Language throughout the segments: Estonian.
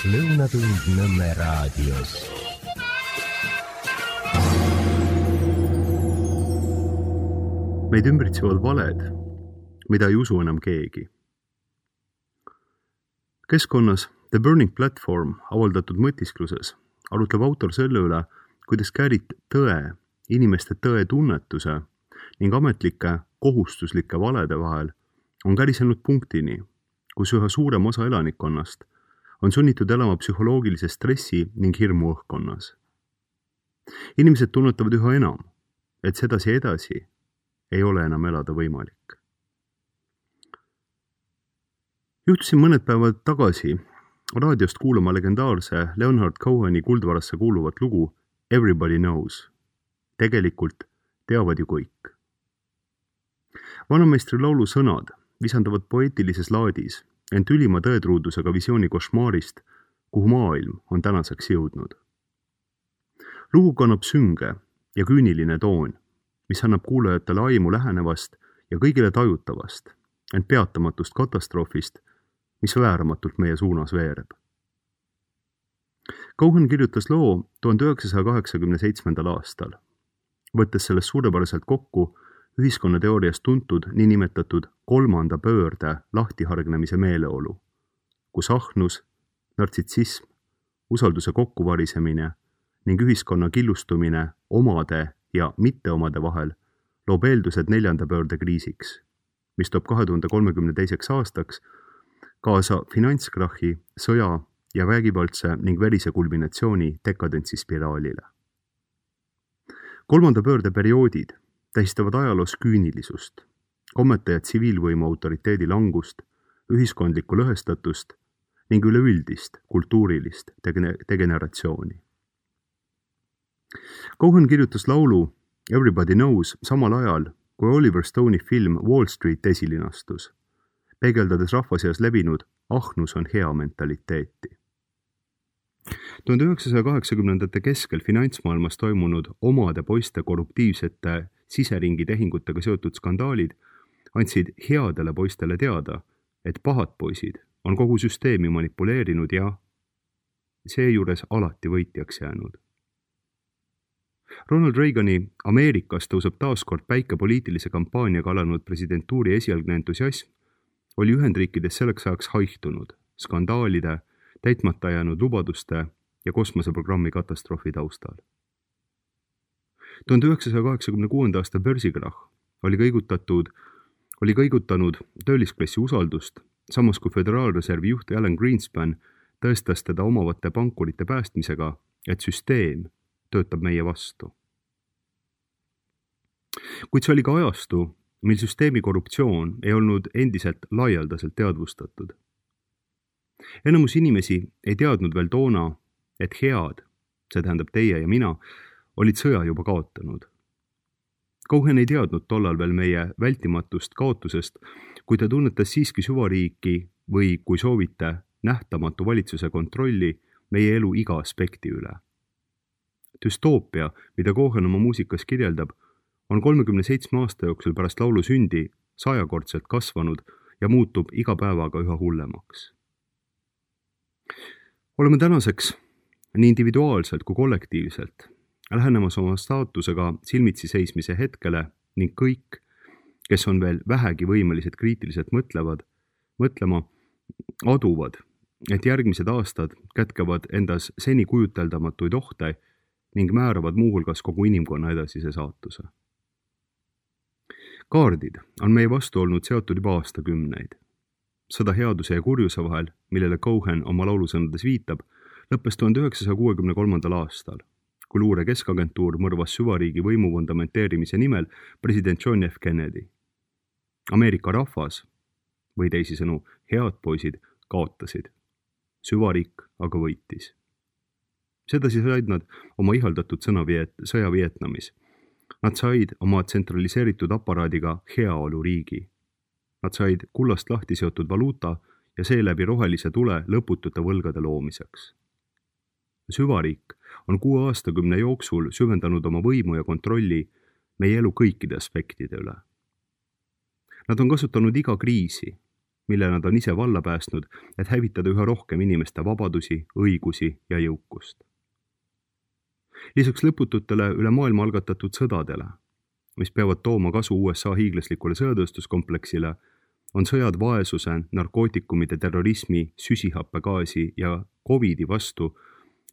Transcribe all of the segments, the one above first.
Lõunatund Nõmme raadios. Meid ümbritsevad valed, mida ei usu enam keegi. Keskkonnas The Burning Platform avaldatud mõtiskluses arutleb autor selle üle, kuidas käärid tõe, inimeste tõe tunnetuse ning ametlike kohustuslike valede vahel on kärisenud punktini, kus üha suurem osa elanikkonnast on sunnitud elama psühholoogilise stressi ning hirmu õhkkonnas. Inimesed tunnetavad üha enam, et sedasi edasi ei ole enam elada võimalik. Juhtusin mõned päevad tagasi raadiost kuulama legendaarse Leonard Coheni kuldvarasse kuuluvat lugu Everybody Knows. Tegelikult teavad ju kõik. Vanameistri laulu sõnad visandavad poeetilises laadis, ent ülima tõetruudusega visiooni košmaarist, kuhu maailm on tänaseks jõudnud. Lugu kannab sünge ja küüniline toon, mis annab kuulajatele aimu lähenevast ja kõigile tajutavast, ent peatamatust katastroofist, mis vääramatult meie suunas veereb. Cohen kirjutas loo 1987. aastal, võttes sellest suurepäraselt kokku ühiskonnateoorias tuntud niinimetatud kolmanda pöörde lahtihargnemise meeleolu, kus ahnus, nartsissism, usalduse kokkuvarisemine ning ühiskonna killustumine omade ja mitteomade vahel loob eeldused neljanda pöörde kriisiks, mis toob 2032. aastaks kaasa finantskrahi, sõja ja vägivaldse ning verise kulminatsiooni dekadentsispiraalile. Kolmanda pöörde perioodid tähistavad ajaloos küünilisust, kommete ja tsiviilvõimu autoriteedi langust, ühiskondlikku lõhestatust ning üleüldist kultuurilist degeneratsiooni. Cohen kirjutas laulu Everybody Knows samal ajal, kui Oliver Stone'i film Wall Street esilinastus, peegeldades rahvaseas levinud ahnus on hea mentaliteeti. 1980. keskel finantsmaailmas toimunud omade poiste korruptiivsete siseringi tehingutega seotud skandaalid andsid headele poistele teada, et pahad poisid on kogu süsteemi manipuleerinud ja seejuures alati võitjaks jäänud. Ronald Reagani Ameerikas tõuseb taaskord päike poliitilise kampaaniaga alanud presidentuuri esialgne entusiasm oli Ühendriikides selleks ajaks haihtunud skandaalide, täitmata jäänud lubaduste ja kosmoseprogrammi katastroofi taustal. 1986. aasta börsikrahh oli kõigutanud töölisklassi usaldust, samas kui Föderaalreservi juht Alan Greenspan tõestas teda omavate pankurite päästmisega, et süsteem töötab meie vastu. Kuid see oli ka ajastu, mil süsteemi korruptsioon ei olnud endiselt laialdaselt teadvustatud. Enamus inimesi ei teadnud veel toona, et head, see tähendab teie ja mina, olid sõja juba kaotanud. Cohen ei teadnud tollal veel meie vältimatust kaotusest, kui ta tunnetas siiski süvariiki või, kui soovite, nähtamatu valitsuse kontrolli meie elu iga aspekti üle. Düstoopia, mida Cohen oma muusikas kirjeldab, on 37 aasta jooksul pärast laulu sündi 100-kordselt kasvanud ja muutub iga päevaga üha hullemaks. Oleme tänaseks nii individuaalselt kui kollektiivselt lähenemas oma staatusega silmitsi seismise hetkele ning kõik, kes on veel vähegi võimelised kriitiliselt mõtlema, aduvad, et järgmised aastad kätkevad endas seni kujuteldamatuid ohte ning määravad muuhulgas kogu inimkonna edasise saatuse. Kaardid on meie vastu olnud seotud juba aastakümneid. Sõda headuse ja kurjuse vahel, millele Cohen oma laulusõnades viitab, lõppes 1963. aastal, kui luure keskagentuur mõrvas süvariigi võimu fundamenteerimise nimel president John F. Kennedy. Ameerika rahvas, või teisisõnu head poisid, kaotasid. Süvariik aga võitis. Sedasi said nad oma ihaldatud sõja Vietnamis. Nad said oma tsentraliseeritud aparaadiga heaolu riigi. Nad said kullast lahti seotud valuuta ja seeläbi rohelise tule lõputute võlgade loomiseks. Süvariik on 6 aastakümne jooksul süvendanud oma võimu ja kontrolli meie elu kõikide aspektide üle. Nad on kasutanud iga kriisi, mille nad on ise valla päästnud, et hävitada üha rohkem inimeste vabadusi, õigusi ja jõukust. Lisaks lõpututele üle maailma algatatud sõdadele, mis peavad tooma kasu USA hiiglaslikule sõjatööstuskompleksile, on sõjad vaesuse, narkootikumide, terrorismi, süsihappegaasi ja COVIDi vastu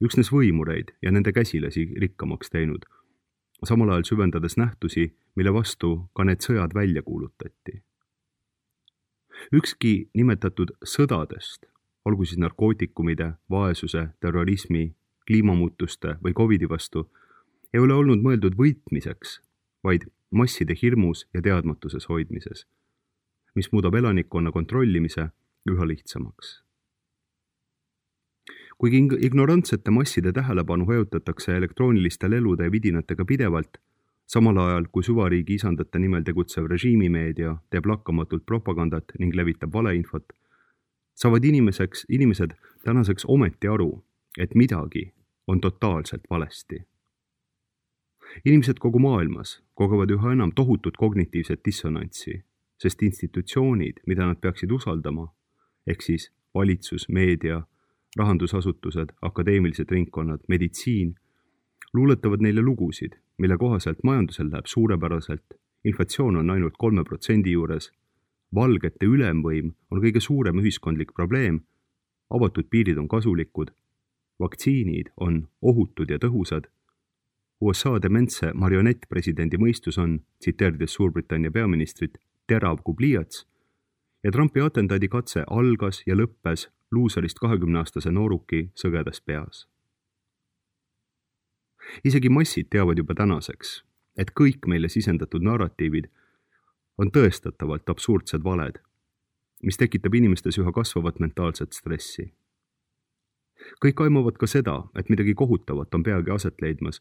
üksnes võimureid ja nende käsilasi rikkamaks teinud, samal ajal süvendades nähtusi, mille vastu ka need sõjad välja kuulutati. Ükski nimetatud sõdadest, olgu siis narkootikumide, vaesuse, terrorismi, kliimamuutuste või COVIDi vastu, ei ole olnud mõeldud võitmiseks, vaid masside hirmus ja teadmatuses hoidmises, mis muudab elanikkonna kontrollimise üha lihtsamaks. Kuigi ignorantsete masside tähelepanu hajutatakse elektrooniliste lelude ja vidinatega pidevalt, samal ajal kui süvariigi isandate nimel tegutsev režiimimeedia teeb lakkamatult propagandat ning levitab valeinfot, saavad inimesed tänaseks ometi aru, et midagi on totaalselt valesti. Inimesed kogu maailmas kogevad üha enam tohutut kognitiivset dissonantsi, sest institutsioonid, mida nad peaksid usaldama, ehk siis valitsus, meedia, rahandusasutused, akadeemilised ringkonnad, meditsiin, luuletavad neile lugusid, mille kohaselt majandusel läheb suurepäraselt, inflatsioon on ainult 3% juures, valgete ülemvõim on kõige suurem ühiskondlik probleem, avatud piirid on kasulikud, vaktsiinid on ohutud ja tõhusad, USA dementse marionettpresidendi mõistus on, tsiteerides Suurbritannia peaministrit, terav kui pliiats ja Trumpi atentaadi katse algas ja lõppes luuserist 20-aastase nooruki sõgedas peas. Isegi massid teavad juba tänaseks, et kõik meile sisendatud narratiivid on tõestatavalt absurdsed valed, mis tekitab inimestes üha kasvavat mentaalset stressi. Kõik aimavad ka seda, et midagi kohutavat on peagi aset leidmas,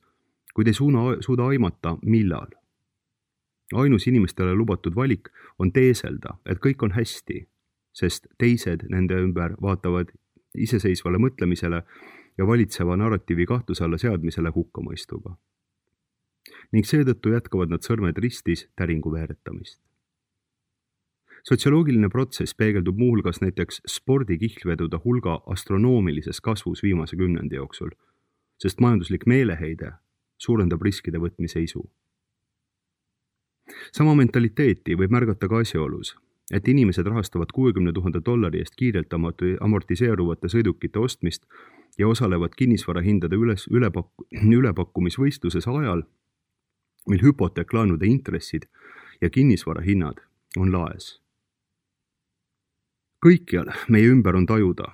kuid ei suuda aimata, millal. Ainus inimestele lubatud valik on teeselda, et kõik on hästi, sest teised nende ümber vaatavad iseseisvale mõtlemisele ja valitseva narratiivi kahtluse alla seadmisele hukkamõistuga. Ning seetõttu jätkavad nad sõrmed ristis täringu veeretamist. Sotsioloogiline protsess peegeldub muuhulgas näiteks spordikihlvedude hulga astronoomilises kasvus viimase 10 jooksul, sest majanduslik meeleheide suurendab riskide võtmise isu. Sama mentaliteeti võib märgata ka asjaolus, et inimesed rahastavad $60,000 eest kiirelt amortiseeruvate sõidukite ostmist ja osalevad kinnisvarahindade ülepakkumisvõistluses ajal, mil hüpoteeklaenude intressid ja kinnisvarahinnad on laes. Kõikjal meie ümber on tajuda,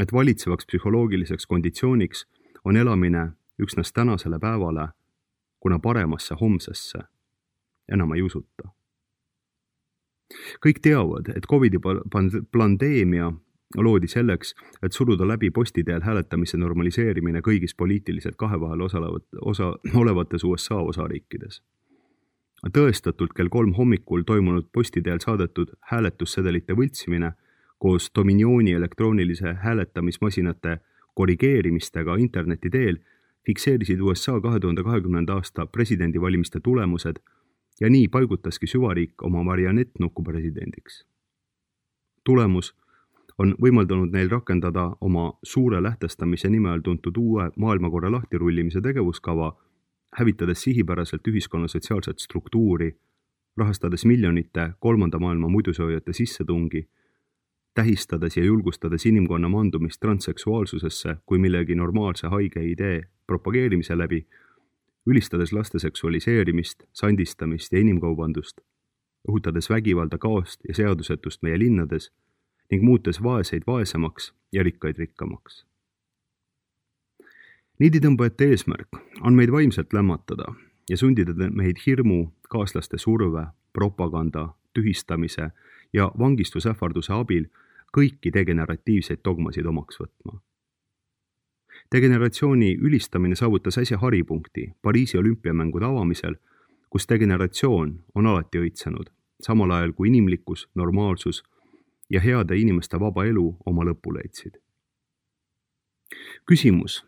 et valitsevaks psühholoogiliseks konditsiooniks on elamine üksnes tänasele päevale, kuna paremasse homsesse enam ei usuta. Kõik teavad, et COVIDi pandeemia loodi selleks, et suruda läbi postiteel hääletamise normaliseerimine kõigis poliitiliselt kahevahel olevates USA osariikides. Tõestatult kell 3 hommikul toimunud postiteel saadetud hääletussedelite võltsimine koos Dominioni elektroonilise hääletamismasinate korrigeerimistega interneti teel fikseerisid USA 2020. aasta presidendivalimiste tulemused ja nii paigutaski süvariik oma marionettnuku presidendiks. Tulemus on võimaldanud neil rakendada oma suure lähtestamise nime all tuntud uue maailmakorra lahtirullimise tegevuskava, hävitades sihipäraselt ühiskonna sotsiaalset struktuuri, rahastades miljonite kolmanda maailma muidusoojate sissetungi, tähistades ja julgustades inimkonna mandumist transseksuaalsusesse kui millegi normaalse haige idee propageerimise läbi, ülistades laste seksualiseerimist, sandistamist ja inimkaubandust, õhutades vägivalda, kaost ja seadusetust meie linnades ning muutes vaeseid vaesemaks ja rikkaid rikkamaks. Niiditõmbajate eesmärk on meid vaimselt lämmatada ja sundida meid hirmu, kaaslaste surve, propaganda, tühistamise ja vangistusähvarduse abil kõiki degeneratiivseid dogmasid omaks võtma. Degeneratsiooni ülistamine saavutas äsja haripunkti Pariisi olümpiamängude avamisel, kus degeneratsioon on alati õitsenud, samal ajal kui inimlikkus, normaalsus ja heade inimeste vaba elu oma lõpu leidsid. Küsimus,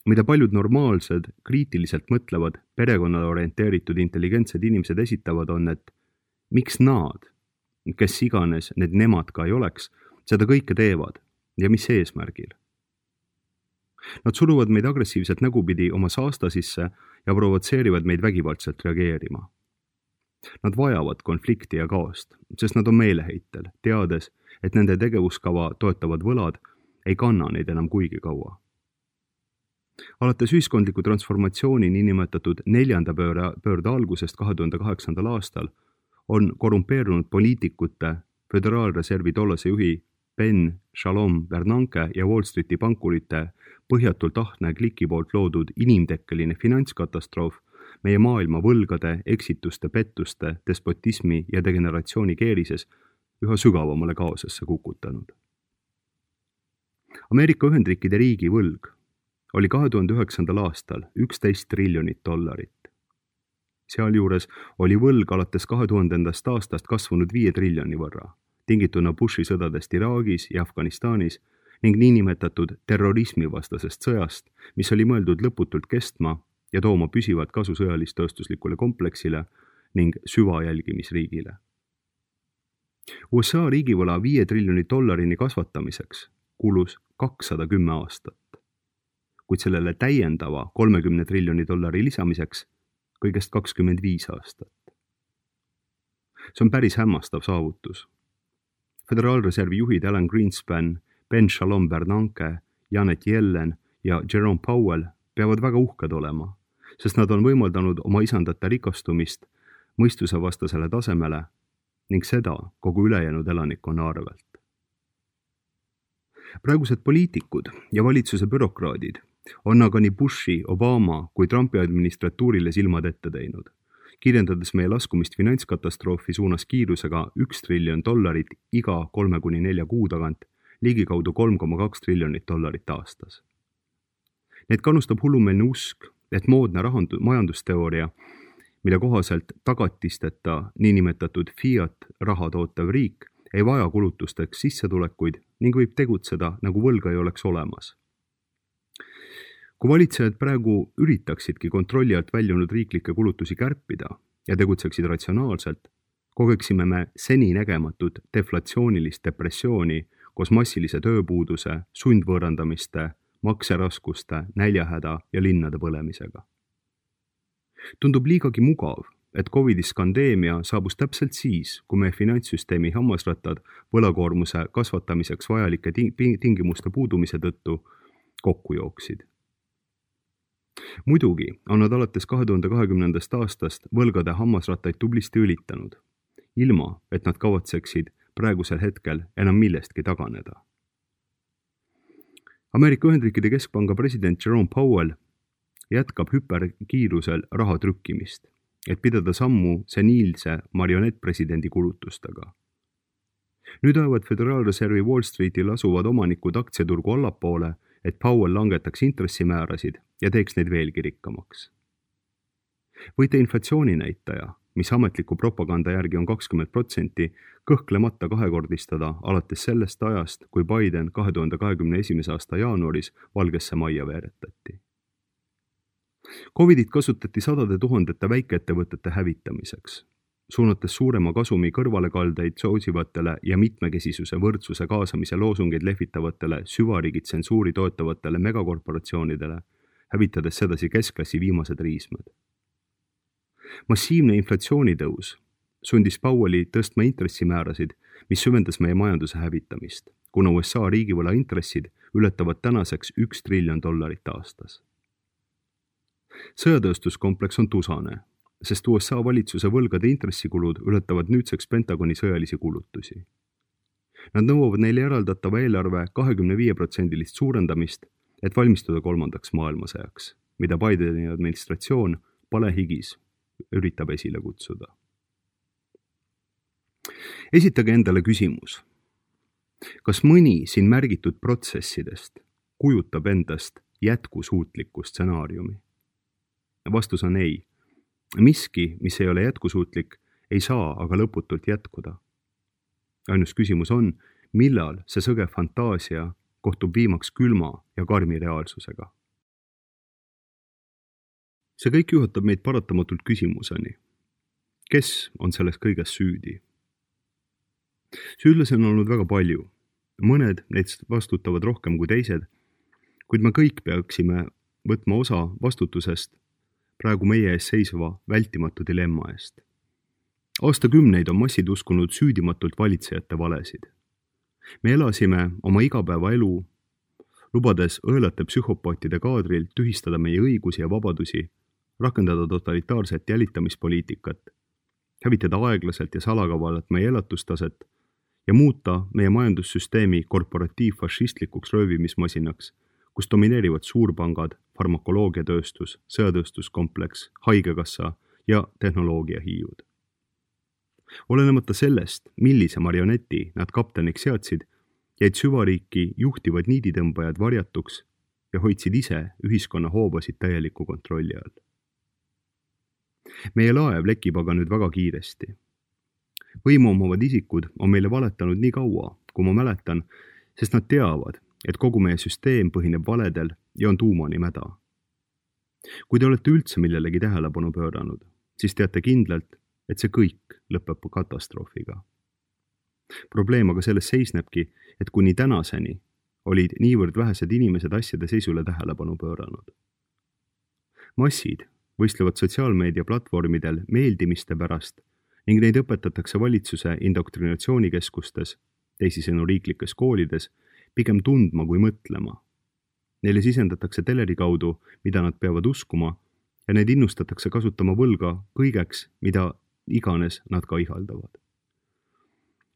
mida paljud normaalsed, kriitiliselt mõtlevad, perekonnale orienteeritud intelligentsed inimesed esitavad, on, et miks nad kes iganes need nemad ka ei oleks, seda kõike teevad ja mis eesmärgil. Nad suruvad meid agressiivselt nägupidi oma saasta sisse ja provotseerivad meid vägivaldselt reageerima. Nad vajavad konflikti ja kaost, sest nad on meeleheitel, teades, et nende tegevuskava toetavad võlad ei kanna neid enam kuigi kaua. Alates ühiskondliku transformatsiooni niinimetatud 4. pöörde algusest 2008. aastal on korrumpeerunud poliitikute, Föderaalreservi tollase juhi Ben Shalom Bernanke ja Wall Streeti pankurite põhjatult ahne kliki poolt loodud inimtekkeline finantskatastroof meie maailma võlgade, eksituste, pettuste, despotismi ja degeneratsiooni keerises üha sügavamale kaosesse kukutanud. Ameerika Ühendriikide riigi võlg oli 2009. aastal $11 triljonit. Sealjuures oli võlg alates 2000. aastast kasvanud 5 triljoni võrra, tingituna Bushi sõdadest Iraagis ja Afganistanis ning niinimetatud terrorismivastasest sõjast, mis oli mõeldud lõputult kestma ja tooma püsivat kasu sõjalist-tööstuslikule kompleksile ning süvajälgimisriigile. USA riigivõla $5 triljoni kasvatamiseks kulus 210 aastat, kuid sellele täiendava $30 triljoni lisamiseks kõigest 25 aastat. See on päris hämmastav saavutus. Föderaalreservi juhid Alan Greenspan, Ben Shalom Bernanke, Janet Yellen ja Jerome Powell peavad väga uhked olema, sest nad on võimaldanud oma isandate rikastumist mõistusevastasele tasemele ning seda kogu ülejäänud elanikkonna arvelt. Praegused poliitikud ja valitsuse bürokraadid on aga nii Bushi, Obama kui Trumpi administratuurile silmad ette teinud, kirjeldades meie laskumist finantskatastroofi suunas kiirusega $1 triljon iga 3-4 kuu tagant, ligikaudu $3,2 triljonit aastas. Need kannustab hullumeelne usk, et moodne majandusteooria, mille kohaselt tagatisteta niinimetatud fiat raha tootev riik ei vaja kulutusteks sissetulekuid ning võib tegutseda, nagu võlga ei oleks olemas. Kui valitsejad praegu üritaksidki kontrolli alt väljunud riiklikke kulutusi kärpida ja tegutseksid ratsionaalselt, kogeksime me seni nägematut deflatsioonilist depressiooni koos massilise tööpuuduse, sundvõõrandamiste, makseraskuste, näljahäda ja linnade põlemisega. Tundub liigagi mugav, et COVID-i skandeemia saabus täpselt siis, kui meie finantssüsteemi hammasrattad võlakoormuse kasvatamiseks vajalike tingimuste puudumise tõttu kokku jooksid. Muidugi on nad alates 2020. aastast võlgade hammasrattaid tublisti ülitanud, ilma et nad kavatseksid praegusel hetkel enam millestki taganeda. Ameerika Ühendriikide Keskpanga president Jerome Powell jätkab hüperkiirusel raha trükkimist, et pidada sammu seniilse marionettpresidendi kulutustega. Nüüd ajavad Föderaalreservi Wall Streetil asuvad omanikud aktsiaturgu allapoole, et Powell langetaks intressimäärasid ja teeks neid veelgi rikkamaks. Võite inflatsiooninäitaja, mis ametliku propaganda järgi on 20%, kõhklemata kahekordistada alates sellest ajast, kui Biden 2021. aasta jaanuaris Valgesse Majja veeretati. COVIDit kasutati sadade tuhandete väikeettevõtete hävitamiseks, suunates suurema kasumi kõrvalekaldeid soosivatele ja mitmekesisuse võrdsuse kaasamise loosungeid lehvitavatele süvariigi tsensuuri toetavatele megakorporatsioonidele, hävitades sedasi keskklassi viimased riismed. Massiivne inflatsioonitõus sundis Powelli tõstma intressimäärasid, mis süvendas meie majanduse hävitamist, kuna USA riigivõla intressid ületavad tänaseks $1 triljon aastas. Sõjatööstuskompleks on tusane, sest USA valitsuse võlgade intressikulud ületavad nüüdseks Pentagoni sõjalisi kulutusi. Nad nõuavad neile eraldatava eelarve 25% suurendamist, et valmistuda 3. maailmasõjaks, mida Bideni administratsioon palehigis üritab esile kutsuda. Esitage endale küsimus, kas mõni siin märgitud protsessidest kujutab endast jätkusuutlikku stsenaariumi? Vastus on ei. Miski, mis ei ole jätkusuutlik, ei saa aga lõputult jätkuda. Ainus küsimus on, millal see sõge fantaasia kohtub viimaks külma ja karmi reaalsusega. See kõik juhatab meid paratamatult küsimuseni. Kes on selles kõiges süüdi? Süüdlasi on olnud väga palju. Mõned neist vastutavad rohkem kui teised, kuid me kõik peaksime võtma osa vastutusest praegu meie ees seisva vältimatu dilemma eest. Aastakümneid on massid uskunud süüdimatult valitsejate valesid. Me elasime oma igapäevaelu, lubades õelate psühhopaatide kaadril tühistada meie õigusi ja vabadusi, rakendada totalitaarset jälitamispoliitikat, hävitada aeglaselt ja salakavalalt meie elatustaset ja muuta meie majandussüsteemi korporatiivfašistlikuks röövimismasinaks, kus domineerivad suurpangad, farmakoloogiatööstus, sõjatööstuskompleks, haigekassa ja tehnoloogiahiiud. Olenemata sellest, millise marioneti nad kapteniks seadsid, jäid süvariiki juhtivad niiditõmbajad varjatuks ja hoidsid ise ühiskonna hoobasid täieliku kontrolli all. Meie laev lekib aga nüüd väga kiiresti. Võimu omavad isikud on meile valetanud nii kaua, kui ma mäletan, sest nad teavad, et kogu meie süsteem põhineb valedel ja on tuumani mäda. Kui te olete üldse millelegi tähelepanu pööranud, siis teate kindlalt, et see kõik lõpeb katastroofiga. Probleem aga selles seisnebki, et kuni tänaseni olid niivõrd vähesed inimesed asjade seisule tähelepanu pööranud. Massid võistlevad sotsiaalmeedia platvormidel meeldimiste pärast ning neid õpetatakse valitsuse indoktrinatsioonikeskustes, teisisõnu riiklikes koolides, pigem tundma kui mõtlema. Neile sisendatakse teleri kaudu, mida nad peavad uskuma, ja neid innustatakse kasutama võlga kõigeks, mida iganes nad ka ihaldavad.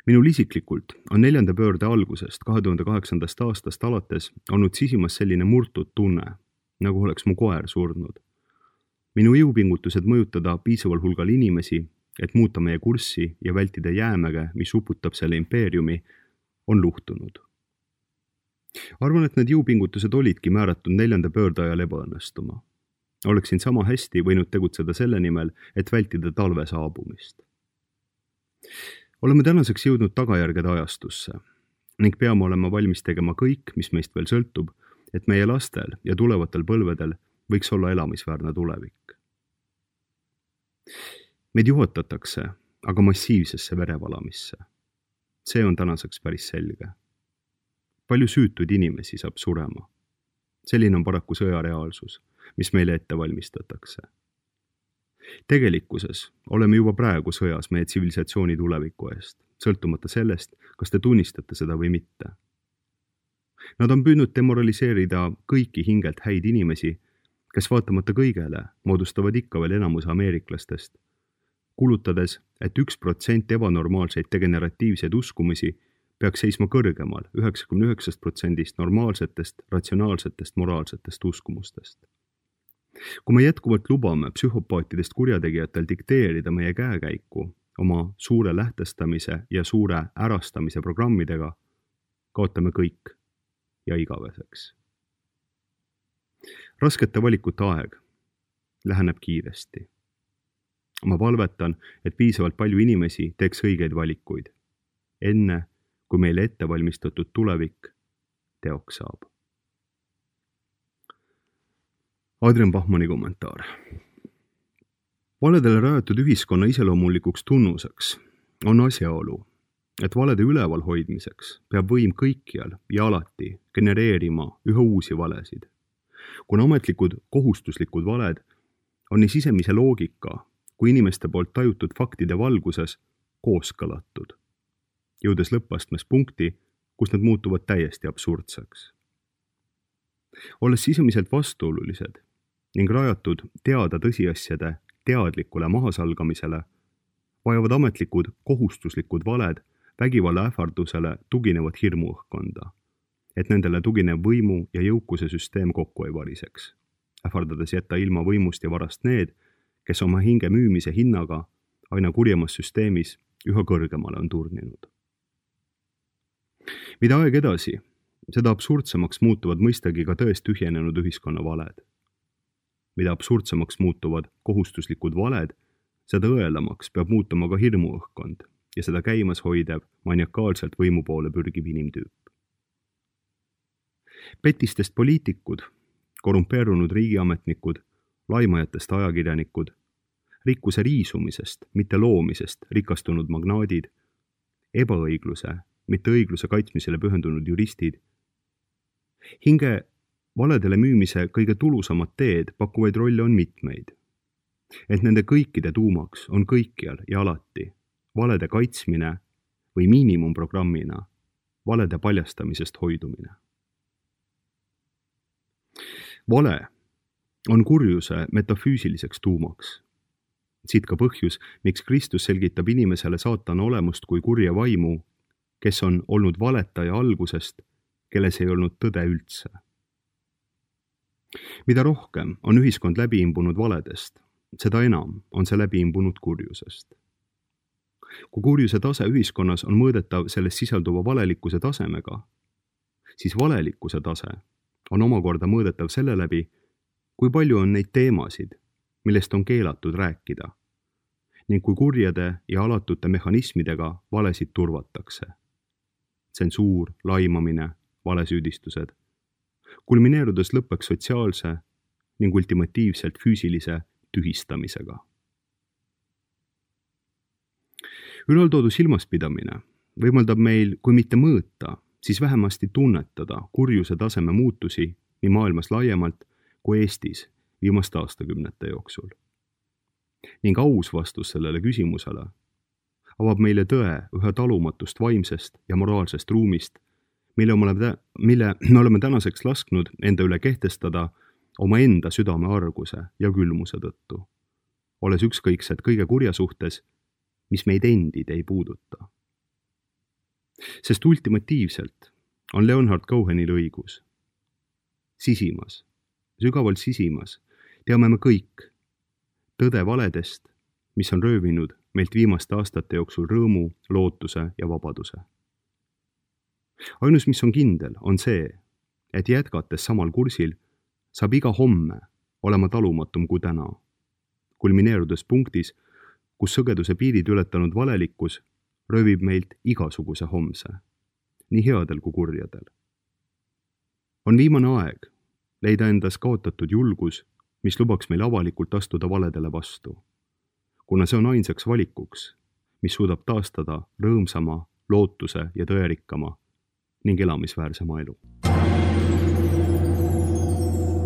Minul isiklikult on 4. pöörde algusest 2008. aastast alates olnud sisimas selline murtud tunne, nagu oleks mu koer surnud. Minu jõupingutused mõjutada piisaval hulgal inimesi, et muuta meie kurssi ja vältida jäämäge, mis uputab selle impeeriumi, on luhtunud. Arvan, et need jõupingutused olidki määratud 4. pöörde ajal ebaõnnestuma. Oleksin sama hästi võinud tegutseda selle nimel, et vältida talve saabumist. Oleme tänaseks jõudnud tagajärgede ajastusse ning peame olema valmis tegema kõik, mis meist veel sõltub, et meie lastel ja tulevatel põlvedel võiks olla elamisväärne tulevik. Meid juhatatakse aga massiivsesse verevalamisse. See on tänaseks päris selge. Palju süütuid inimesi saab surema. Selline on paraku sõja reaalsus, mis meile ette valmistatakse. Tegelikkuses oleme juba praegu sõjas meie tsivilisatsiooni tuleviku eest, sõltumata sellest, kas te tunnistate seda või mitte. Nad on püüdnud demoraliseerida kõiki hingelt häid inimesi, kes vaatamata kõigele moodustavad ikka veel enamuse ameeriklastest, kulutades, et 1% ebanormaalseid degeneratiivseid uskumisi peaks seisma kõrgemal 99% normaalsetest, ratsionaalsetest, moraalsetest uskumustest. Kui me jätkuvalt lubame psühhopaatidest kurjategijatel dikteerida meie käekäiku oma suure lähtestamise ja suure ärastamise programmidega, kaotame kõik ja igaveseks. Raskete valikute aeg läheneb kiiresti. Ma palvetan, et piisavalt palju inimesi teeks õigeid valikuid, enne kui meile ette valmistatud tulevik teoks saab. Adrian Bachmanni kommentaar. Valedele rajatud ühiskonna iseloomulikuks tunnuseks on asjaolu, et valede üleval hoidmiseks peab võim kõikjal ja alati genereerima üha uusi valesid. Kuna ametlikud kohustuslikud valed on nii sisemise loogika kui inimeste poolt tajutud faktide valguses kooskõlatud, jõudes lõppastmes punkti, kus nad muutuvad täiesti absurdseks. Olles sisemiselt vastuolulised ning rajatud teada tõsiasjade teadlikule mahasalgamisele, vajavad ametlikud kohustuslikud valed vägivalla ähvardusele tuginevat hirmuõhkkonda, et nendele tuginev võimu ja jõukuse süsteem kokku ei variseks, ähvardades jätta ilma võimust ja varast need, kes oma hinge müümise hinnaga aina kurjemas süsteemis üha kõrgemale on turninud. Mida aeg edasi, seda absurdsemaks muutuvad mõistagi ka tõest tühjenenud ühiskonna valed. Mida absurdsemaks muutuvad kohustuslikud valed, seda õelamaks peab muutuma ka hirmuõhkkond ja seda käimas hoidev maniakaalselt võimu poole pürgiv inimtüüp. Petistest poliitikud, korrumpeerunud riigiametnikud, laimajatest ajakirjanikud, rikkuse riisumisest, mitte loomisest rikastunud magnaadid ebaõigluse, mitte õigluse kaitsmisele pühendunud juristid. Hinge valedele müümise kõige tulusamad teed pakkuvaid rolle on mitmeid. Et nende kõikide tuumaks on kõikjal ja alati valede kaitsmine või miinimumprogrammina valede paljastamisest hoidumine. Vale on kurjuse metafüüsiliseks tuumaks. Siit ka põhjus, miks Kristus selgitab inimesele saatana olemust kui kurja vaimu, kes on olnud valetaja algusest, kelles ei olnud tõde üldse. Mida rohkem on ühiskond läbi imbunud valedest, seda enam on see läbi imbunud kurjusest. Kui kurjuse tase ühiskonnas on mõõdetav selles sisalduva valelikkuse tasemega, siis valelikkuse tase on omakorda mõõdetav selle läbi, kui palju on neid teemasid, millest on keelatud rääkida, ning kui kurjade ja alatute mehhanismidega valesid turvatakse. Tsensuur, laimamine, valesüüdistused, kulmineerudes lõppeks sotsiaalse ning ultimatiivselt füüsilise tühistamisega. Ülaltoodu silmaspidamine võimaldab meil, kui mitte mõõta, siis vähemasti tunnetada kurjuse taseme muutusi nii maailmas laiemalt kui Eestis viimaste aastakümnete jooksul. Ning aus vastus sellele küsimusele avab meile tõe ühe talumatust vaimsest ja moraalsest ruumist, mille me oleme tänaseks lasknud enda üle kehtestada omaenda südame arguse ja külmuse tõttu, olles ükskõiksed kõige kurja suhtes, mis meid endid ei puuduta. Sest ultimatiivselt on Leonhard Cohenil õigus. Sisimas, sügavalt sisimas teame me kõik tõde valedest, mis on röövinud meilt viimaste aastate jooksul rõõmu, lootuse ja vabaduse. Ainus, mis on kindel, on see, et jätkates samal kursil saab iga homme olema talumatum kui täna, kulmineerudes punktis, kus sõgeduse piirid ületanud valelikkus röövib meilt igasuguse homse, nii headel kui kurjadel. On viimane aeg leida endas kaotatud julgus, mis lubaks meil avalikult astuda valedele vastu, kuna see on ainsaks valikuks, mis suudab taastada rõõmsama, lootuse ja tõerikkama ning elamisväärsema elu.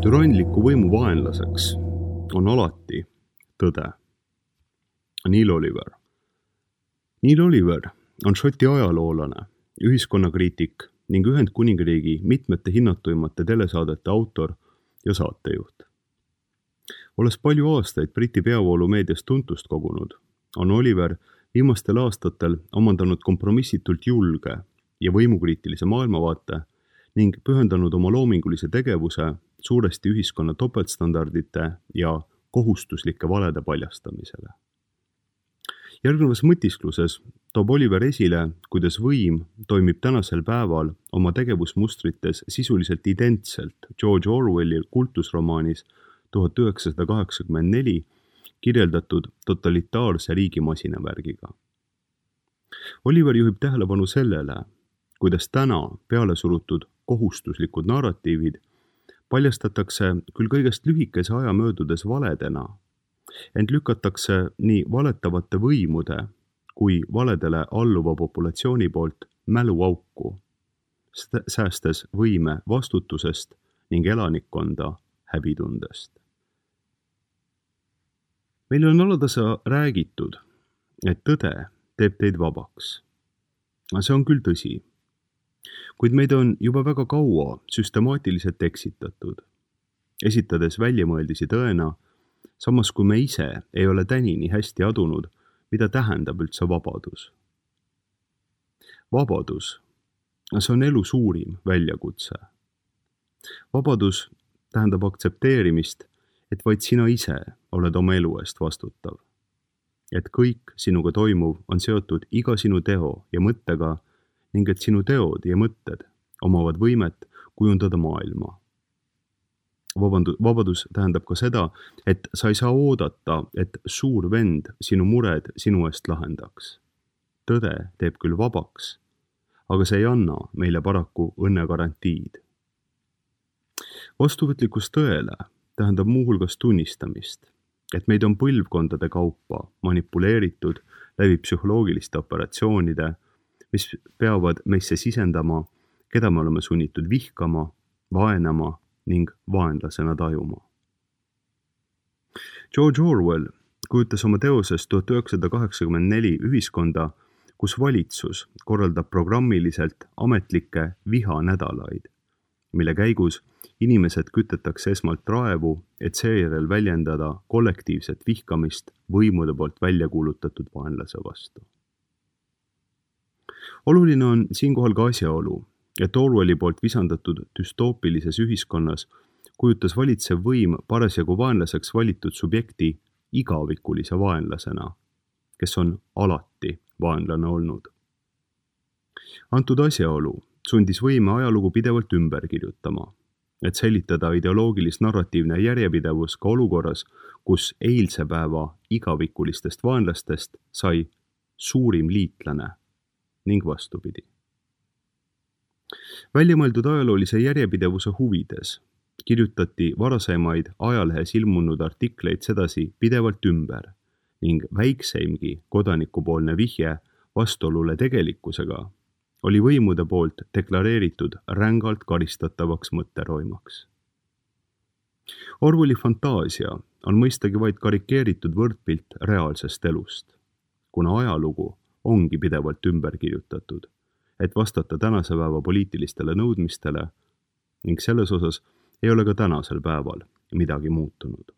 Türanliku võimu vaenlaseks on alati tõde. Neil Oliver. Neil Oliver on Šoti ajaloolane, ühiskonnakriitik ning Ühendkuningriigi mitmete hinnatuimate telesaadete autor ja saatejuht. Olles palju aastaid Briti peavoolumeedias tuntust kogunud, on Oliver viimastel aastatel omandanud kompromissitult julge ja võimukriitilise maailmavaate ning pühendanud oma loomingulise tegevuse suuresti ühiskonna topeltstandardite ja kohustuslike valede paljastamisele. Järgnevas mõtiskluses toob Oliver esile, kuidas võim toimib tänasel päeval oma tegevusmustrites sisuliselt identselt George Orwelli kultusromaanis 1984 kirjeldatud totalitaarse riigimasinavärgiga. Oliver juhib tähelepanu sellele, kuidas täna peale surutud kohustuslikud narratiivid paljastatakse küll kõigest lühikese aja möödudes valedena, ent lükatakse nii valetavate võimude kui valedele alluva populatsiooni poolt mäluauku, säästes võime vastutusest ning elanikkonda häbitundest. Meil on alatasa räägitud, et tõde teeb teid vabaks. See on küll tõsi, kuid meid on juba väga kaua süstemaatiliselt eksitatud, esitades väljamõeldisi tõena, samas kui me ise ei ole tänini hästi adunud, mida tähendab üldse vabadus. Vabadus, see on elu suurim väljakutse. Vabadus tähendab aktsepteerimist, et vaid sina ise oled oma elu eest vastutav. Et kõik sinuga toimuv on seotud iga sinu teo ja mõttega ning et sinu teod ja mõtted omavad võimet kujundada maailma. Vabadus tähendab ka seda, et sa ei saa oodata, et suur vend sinu mured sinu eest lahendaks. Tõde teeb küll vabaks, aga see ei anna meile paraku õnnegarantiid. Vastuvõtlikkus tõele tähendab muuhulgas tunnistamist, et meid on põlvkondade kaupa manipuleeritud läbi psühholoogiliste operatsioonide mis peavad meisse sisendama, keda me oleme sunnitud vihkama, vaenama ning vaenlasena tajuma. George Orwell kujutas oma teoses 1984 ühiskonda, kus valitsus korraldab programmiliselt ametlikke vihanädalaid, mille käigus inimesed kütetakse esmalt raevu, et seejärel väljendada kollektiivset vihkamist võimude poolt välja kuulutatud vaenlase vastu. Oluline on siinkohal ka asjaolu, et Orwelli poolt visandatud düstoopilises ühiskonnas kujutas valitsev võim parasjagu vaenlaseks valitud subjekti igavikulise vaenlasena, kes on alati vaenlane olnud. Antud asjaolu sundis võime ajalugu pidevalt ümber kirjutama, et säilitada ideoloogilis-narratiivne järjepidevus ka olukorras, kus eilse päeva igavikulistest vaenlastest sai suurim liitlane ning vastupidi. Väljamõeldud ajaloolise järjepidevuse huvides kirjutati varasemaid ajalehes ilmunud artikleid sedasi pidevalt ümber ning väikseimgi kodanikupoolne vihje vastuolule tegelikkusega oli võimude poolt deklareeritud rängalt karistatavaks mõtteroimaks. Orwelli fantaasia on mõistagi vaid karikeeritud võrdpilt reaalsest elust, kuna ajalugu ongi pidevalt ümber kirjutatud, et vastata tänase päeva poliitilistele nõudmistele ning selles osas ei ole ka tänasel päeval midagi muutunud.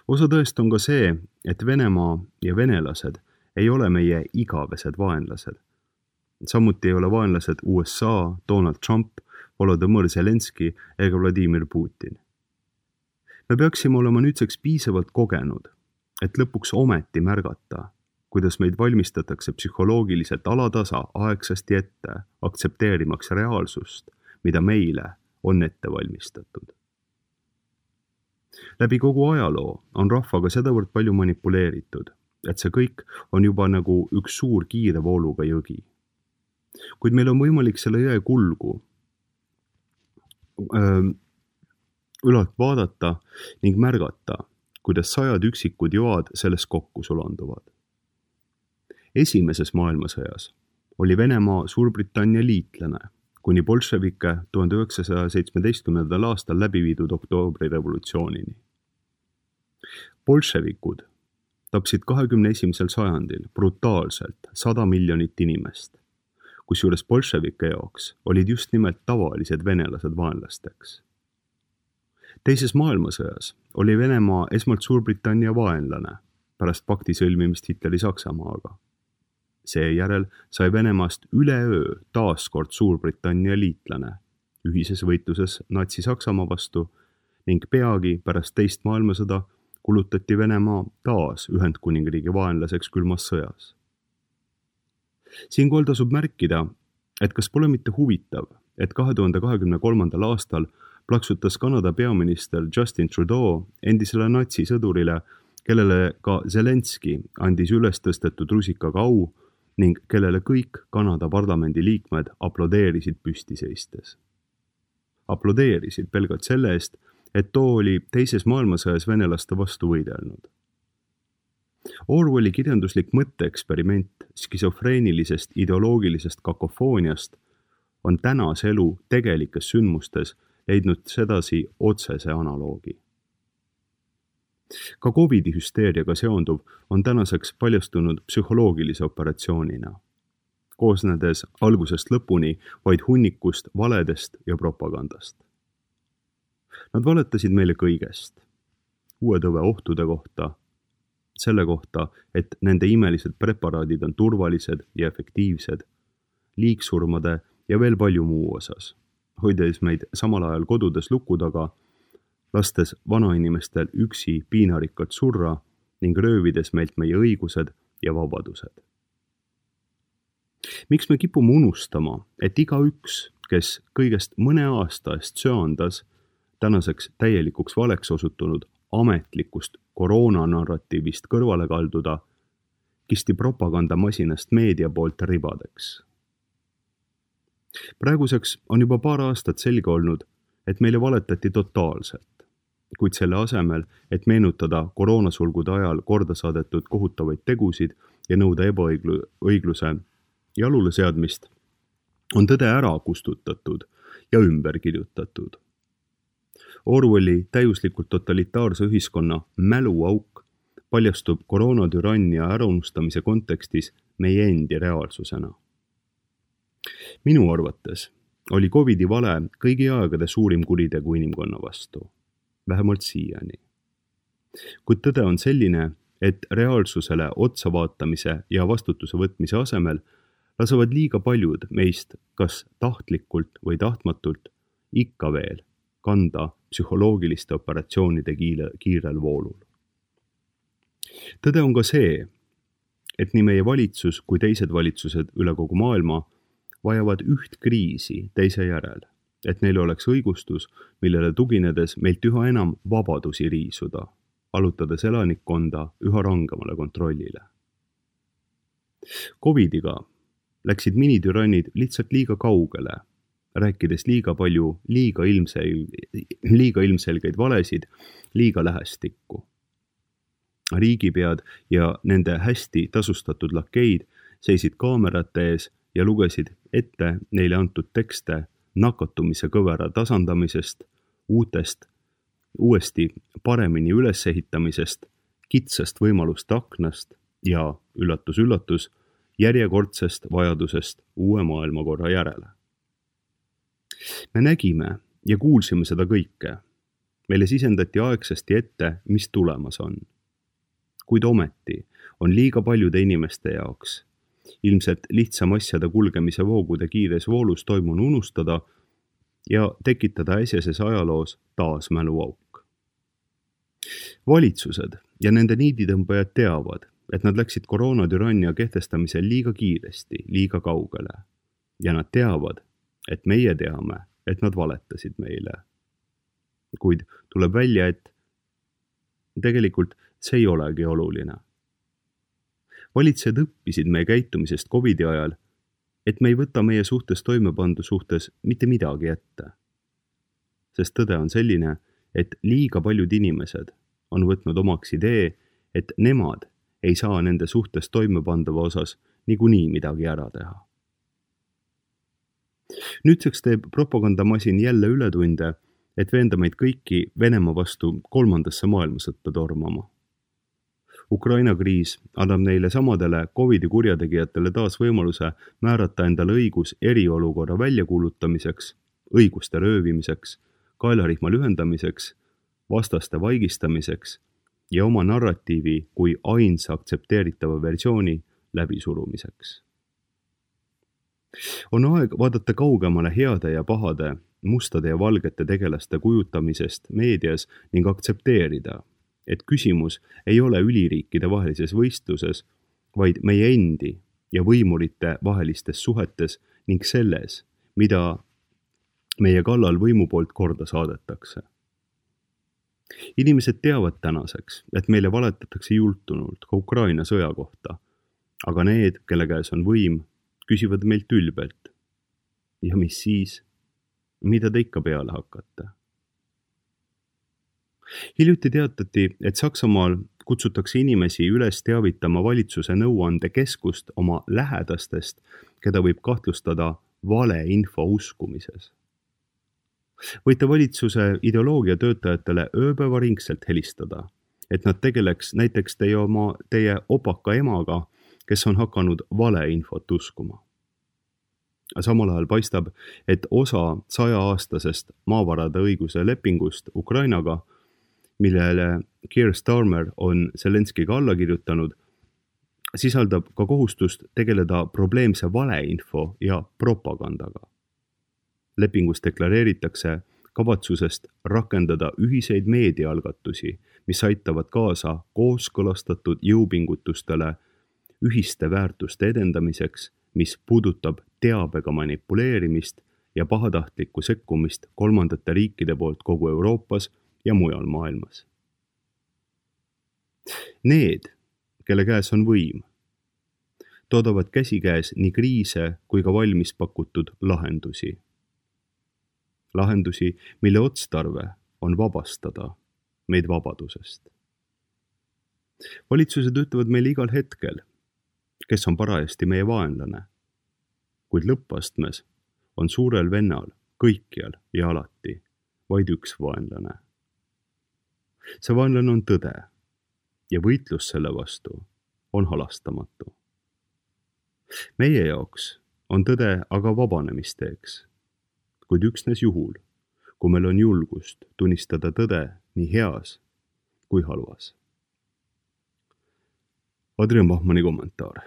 Osa tõest on ka see, et Venemaa ja venelased ei ole meie igavesed vaenlased. Samuti ei ole vaenlased USA, Donald Trump, Volodõmõr Zelenski ega Vladimir Putin. Me peaksime olema nüüdseks piisavalt kogenud, et lõpuks ometi märgata, kuidas meid valmistatakse psühholoogiliselt alatasa aegsasti ette, aktsepteerimaks reaalsust, mida meile on ette valmistatud. Läbi kogu ajaloo on rahvaga sedavõrd palju manipuleeritud, et see kõik on juba nagu üks suur kiire vooluga jõgi. Kuid meil on võimalik selle jõe kulgu ülalt vaadata ning märgata, kuidas sajad üksikud joad selles kokku sulanduvad. Esimeses maailmasõjas oli Venemaa Suurbritannia liitlane, kuni bolševike 1917. aastal läbi viidud oktoobrirevolutsioonini. Bolševikud tapsid 21. sajandil brutaalselt 100 miljonit inimest, kusjuures bolševike jaoks olid just nimelt tavalised venelased vaenlasteks. Teises maailmasõjas oli Venemaa esmalt Suurbritannia vaenlane pärast pakti sõlmimist Hitleri Saksamaaga. Seejärel sai Venemaast üleöö taaskord Suurbritannia liitlane ühises võitluses Natsi-Saksamaa vastu ning peagi pärast teist maailmasõda kulutati Venemaa taas Ühendkuningriigi vaenlaseks külmas sõjas. Siinkohal tasub märkida, et kas pole mitte huvitav, et 2023. aastal plaksutas Kanada peaminister Justin Trudeau endisele natsisõdurile, kellele ka Zelenski andis üles tõstetud rusikaga au ning kellele kõik Kanada parlamendi liikmed aplodeerisid püsti seistes. Aplodeerisid pelgalt selle eest, et too oli teises maailmasõjas venelaste vastu võidelnud. Orwelli kirjanduslik mõtteeksperiment skisofreenilisest ideoloogilisest kakofooniast on tänase elu tegelikes sündmustes leidnud sedasi otsese analoogi. Ka COVID-i hüsteeriaga seonduv on tänaseks paljastunud psühholoogilise operatsioonina, koosnedes algusest lõpuni vaid hunnikust valedest ja propagandast. Nad valetasid meile kõigest, uue tõve ohtude kohta, selle kohta, et nende imelised preparaadid on turvalised ja efektiivsed, liigsurmade ja veel palju muu osas, hoides meid samal ajal kodudes luku taga, lastes vanainimestel üksi piinarikkalt surra ning röövides meilt meie õigused ja vabadused. Miks me kipume unustama, et igaüks, kes kõigest mõne aasta eest söandas tänaseks täielikuks valeks osutunud ametlikust koroonanarratiivist kõrvale kalduda, kisti propagandamasinast meedia poolt ribadeks. Praeguseks on juba paar aastat selge olnud, et meile valetati totaalselt, kuid selle asemel, et meenutada koroonasulgude ajal korda saadetud kohutavaid tegusid ja nõuda ebaõigluse jalule seadmist on tõde ära kustutatud ja ümber kirjutatud. Orwelli täiuslikult totalitaarse ühiskonna mäluauk paljastub koroonatürannia äraunustamise kontekstis meie endi reaalsusena. Minu arvates oli Covidi vale kõigi aegade suurim kuritegu inimkonna vastu, vähemalt siiani. Kuid tõde on selline, et reaalsusele otsa vaatamise ja vastutuse võtmise asemel lasevad liiga paljud meist kas tahtlikult või tahtmatult ikka veel kanda psühholoogiliste operatsioonide kiirel voolul. Tõde on ka see, et nii meie valitsus kui teised valitsused üle kogu maailma vajavad üht kriisi teise järel, et neil oleks õigustus, millele tuginedes meilt üha enam vabadusi riisuda, allutades elanikkonda üha rangemale kontrollile. Covidiga läksid minitürannid lihtsalt liiga kaugele, rääkides liiga palju liiga ilmselgeid valesid liiga lähestikku. Riigipead ja nende hästi tasustatud lakeid seisid kaamerate ees ja lugesid ette neile antud tekste nakatumise kõvera tasandamisest, uuesti paremini ülesehitamisest, kitsast võimaluste aknast ja, üllatus, järjekordsest vajadusest uue maailmakorra järele. Me nägime ja kuulsime seda kõike. Meile sisendati aegsasti ette, mis tulemas on. Kuid ometi on liiga paljude inimeste jaoks ilmselt lihtsam asjade kulgemise voogude kiires voolus toimunu unustada ja tekitada äsjases ajaloos taas mäluauk. Valitsused ja nende niiditõmbajad teavad, et nad läksid koroonatürannia kehtestamisel liiga kiiresti, liiga kaugele. Ja nad teavad, et meie teame, et nad valetasid meile. Kuid tuleb välja, et tegelikult see ei olegi oluline. Valitsejad õppisid meie käitumisest Covidi ajal, et me ei võta meie suhtes toimepandu suhtes mitte midagi ette. Sest tõde on selline, et liiga paljud inimesed on võtnud omaks idee, et nemad ei saa nende suhtes toimepandava osas niikuinii midagi ära teha. Nüüdseks teeb propagandamasin jälle ületunde, et veenda meid kõiki Venemaa vastu 3. maailmasõtta tormama. Ukraina kriis annab neile samadele Covidi kurjategijatele taas võimaluse määrata endale õigus eriolukorra väljakuulutamiseks, õiguste röövimiseks, kaelarihma lühendamiseks, vastaste vaigistamiseks ja oma narratiivi kui ainsa aktsepteeritava versiooni läbisurumiseks. On aeg vaadata kaugemale heade ja pahade, mustade ja valgete tegelaste kujutamisest meedias ning aktsepteerida, et küsimus ei ole üliriikide vahelises võistluses, vaid meie endi ja võimurite vahelistes suhetes ning selles, mida meie kallal võimu poolt korda saadetakse. Inimesed teavad tänaseks, et meile valetatakse jultunult ka Ukraina sõja kohta, aga need, kelle käes on võim, küsivad meilt ülbelt. Ja mis siis? Mida te ikka peale hakkate? Hiljuti teatati, et Saksamaal kutsutakse inimesi üles teavitama valitsuse nõuandekeskust oma lähedastest, keda võib kahtlustada valeinfo uskumises. Võite valitsuse ideoloogia töötajatele ööpäevaringselt helistada, et nad tegeleks näiteks teie opaka emaga, kes on hakanud valeinfot uskuma. Samal ajal paistab, et osa 100-aastasest maavarade õiguse lepingust Ukrainaga, millele Keir Starmer on Zelenskiga alla kirjutanud, sisaldab ka kohustust tegeleda probleemse valeinfo ja propagandaga. Lepingus deklareeritakse kavatsusest rakendada ühiseid meediaalgatusi, mis aitavad kaasa kooskõlastatud jõupingutustele ühiste väärtuste edendamiseks, mis puudutab teabega manipuleerimist ja pahatahtlikku sekkumist kolmandate riikide poolt kogu Euroopas ja mujal maailmas. Need, kelle käes on võim, toodavad käsikäes nii kriise kui ka valmis pakutud lahendusi. Lahendusi, mille otstarve on vabastada meid vabadusest. Valitsused ütlevad meile igal hetkel, kes on parajasti meie vaenlane kuid lõppastmes on suurel vennal kõikjal ja alati vaid üks vaenlane. See vaenlane on tõde ja võitlus selle vastu on halastamatu. Meie jaoks on tõde aga vabanemisteeks, kuid üksnes juhul, kui meil on julgust tunnistada tõde nii heas kui halvas. Adrian Bachmanni kommentaar.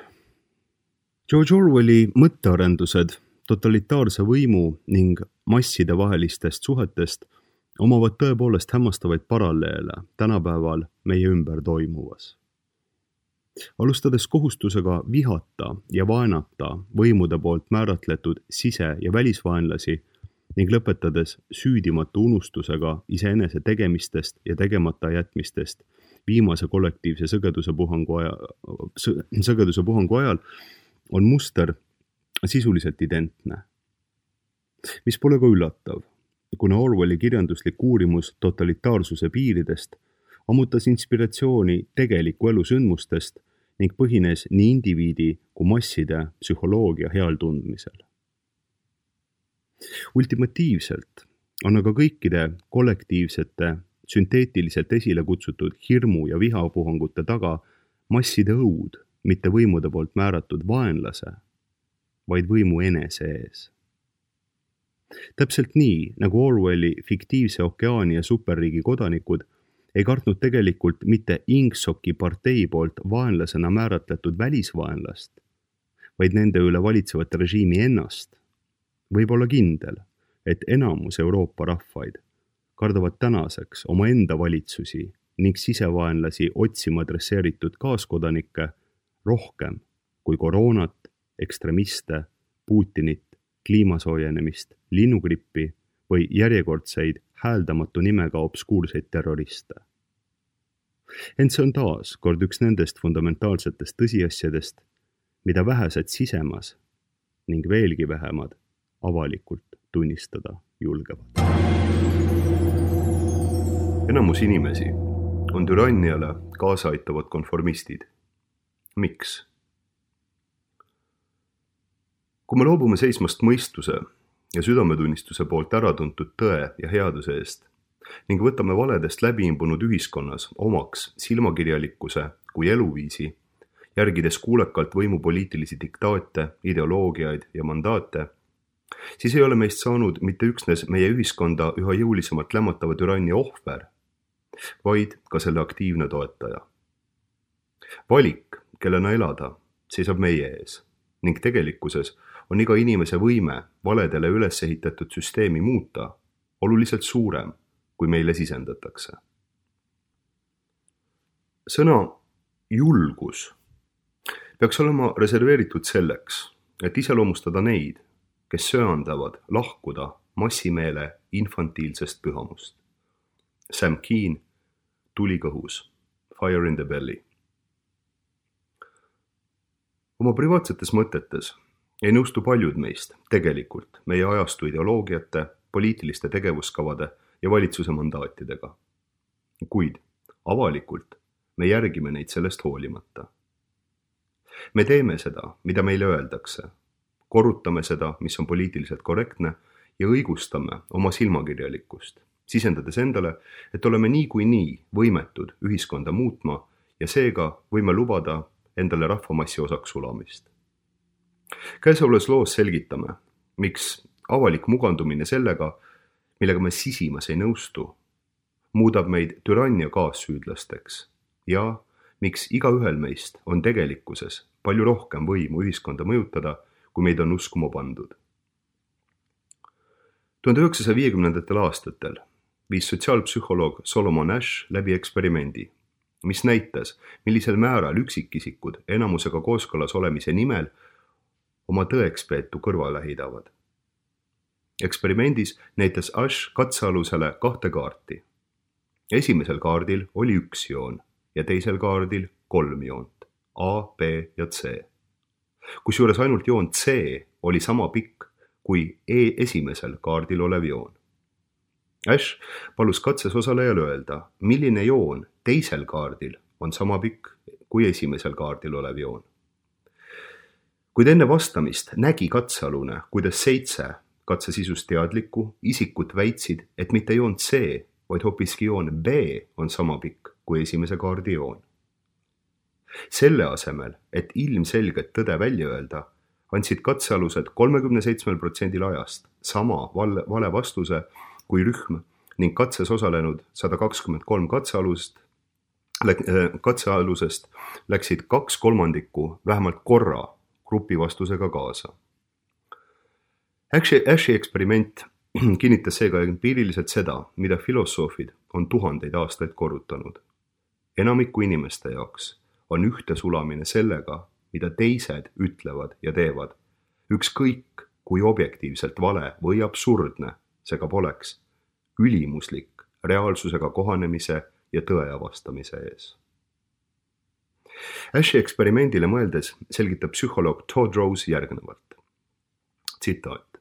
George Orwelli mõttearendused totalitaarse võimu ning masside vahelistest suhetest omavad tõepoolest hämmastavaid paralleele tänapäeval meie ümber toimuvas. Alustades kohustusega vihata ja vaenata võimude poolt määratletud sise- ja välisvaenlasi ning lõpetades süüdimatu unustusega iseenese tegemistest ja tegemata jätmistest viimase kollektiivse sõgeduse puhangu ajal on muster sisuliselt identne. Mis pole ka üllatav, kuna Orwelli kirjanduslik uurimus totalitaarsuse piiridest ammutas inspiratsiooni tegeliku elu sündmustest ning põhines nii indiviidi kui masside psühholoogia heal tundmisel. Ultimatiivselt on aga kõikide kollektiivsete, sünteetiliselt esile kutsutud hirmu ja vihapuhangute taga masside õud, mitte võimude poolt määratud vaenlase, vaid võimu enese ees. Täpselt nii, nagu Orwelli fiktiivse okeaani ja superriigi kodanikud ei kartnud tegelikult mitte Ingsoki partei poolt vaenlasena määratletud välisvaenlast, vaid nende üle valitsevat režiimi ennast, võib olla kindel, et enamus Euroopa rahvaid kardavad tänaseks oma enda valitsusi ning sisevaenlasi otsima adresseeritud kaaskodanikke rohkem kui koroonat, ekstremiste, Putinit, kliimasoojenemist, linnugrippi või järjekordseid hääldamatu nimega obskuurseid terroriste. Ent see on taas kord üks nendest fundamentaalsetest tõsiasjadest, mida vähesed sisemas ning veelgi vähemad avalikult tunnistada julgevad. Enamus inimesi on türanniale kaasa aitavad konformistid. Miks? Kui me loobume seismast mõistuse ja südametunnistuse poolt äratuntud tõe ja headuse eest ning võtame valedest läbiimbunud ühiskonnas omaks silmakirjalikkuse kui eluviisi, järgides kuulekalt võimu poliitilisi diktaate, ideoloogiaid ja mandaate, siis ei ole meist saanud mitte üksnes meie ühiskonda üha jõulisemalt lämmatava türannia ohver, vaid ka selle aktiivne toetaja. Valik, kellena elada, seisab meie ees ning tegelikkuses on iga inimese võime valedele üles ehitatud süsteemi muuta oluliselt suurem, kui meile sisendatakse. Sõna julgus peaks olema reserveeritud selleks, et iseloomustada neid, kes söandavad lahkuda massimeele infantiilsest pühamust. Sam Keen, Tuli kõhus, Fire in the Belly. Oma privaatsetes mõtetes ei nõustu paljud meist tegelikult meie ajastu ideoloogiate, poliitiliste tegevuskavade ja valitsuse mandaatidega. Kuid avalikult me järgime neid sellest hoolimata. Me teeme seda, mida meile öeldakse, korrutame seda, mis on poliitiliselt korrektne ja õigustame oma silmakirjalikkust, sisendades endale, et oleme nii võimetud ühiskonda muutma ja seega võime lubada endale rahvamassi osaks sulamist. Käesolevas loos selgitame, miks avalik mugandumine sellega, millega me sisimas ei nõustu, muudab meid türannia kaassüüdlasteks ja miks igaühel meist on tegelikkuses palju rohkem võimu ühiskonda mõjutada, kui meid on uskuma pandud. 1950. aastatel viis sotsiaalpsühholoog Solomon Asch läbi eksperimendi, mis näitas, millisel määral üksikisikud enamusega kooskõlas olemise nimel oma tõekspeetu kõrvale heidavad. Eksperimendis näitas Asch katsealusele 2 kaarti. Esimesel kaardil oli 1 joon ja teisel kaardil 3 joont, A, B ja C. Kusjuures ainult joon C oli sama pikk kui esimesel kaardil olev joon. Asch palus katses osalejal öelda, milline joon teisel kaardil on sama pikk kui esimesel kaardil olev joon. Kuid enne vastamist nägi katsealune, kuidas 7 katse sisust teadlikku isikut väitsid, et mitte joon C, vaid hoopiski joon B on sama pikk kui esimese kaardi joon. Selle asemel, et ilmselget tõde välja öelda, andsid katsealused 37% ajast sama vale vastuse kui rühm ning katses osalenud 123 katsealusest läksid 2/3 vähemalt korra grupi vastusega kaasa. Ashi eksperiment kinnitas seega empiiriliselt seda, mida filosoofid on tuhandeid aastaid korrutanud. Enamiku inimeste jaoks on ühte sulamine sellega, mida teised ütlevad ja teevad. Ükskõik, kui objektiivselt vale või absurdne see ka poleks, ülimuslik reaalsusega kohanemise ja tõe avastamise ees. Ashi eksperimendile mõeldes selgitab psühholoog Todd Rose järgnevalt. Tsitaat.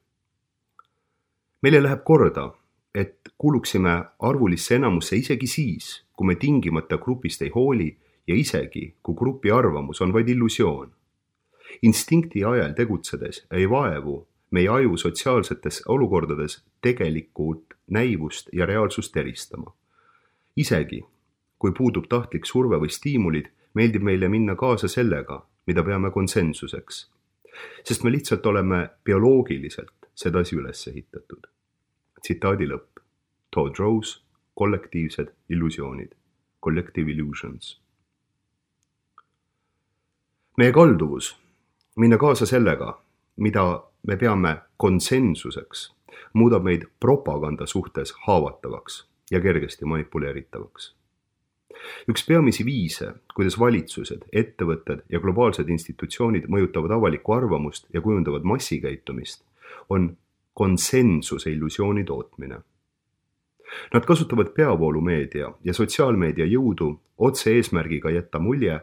Meile läheb korda, et kuuluksime arvulisse enamusse isegi siis, kui me tingimata grupist ei hooli ja isegi, kui grupi arvamus on vaid illusioon. Instinkti ajal tegutsedes ei vaevu meie aju sotsiaalsetes olukordades tegelikult näivust ja reaalsust eristama. Isegi, kui puudub tahtlik surve või stiimulid, meeldib meile minna kaasa sellega, mida peame konsensuseks. Sest me lihtsalt oleme bioloogiliselt sedasi üles ehitatud. Tsitaadi lõpp. Todd Rose, kollektiivsed illusioonid. Collective illusions. Meie kalduvus minna kaasa sellega, mida me peame konsensuseks, muudab meid propaganda suhtes haavatavaks ja kergesti manipuleeritavaks. Üks peamisi viise, kuidas valitsused, ettevõtted ja globaalsed institutsioonid mõjutavad avalikku arvamust ja kujundavad massikäitumist, on konsensuse illusiooni tootmine. Nad kasutavad peavoolumeedia ja sotsiaalmeedia jõudu otse eesmärgiga jätta mulje,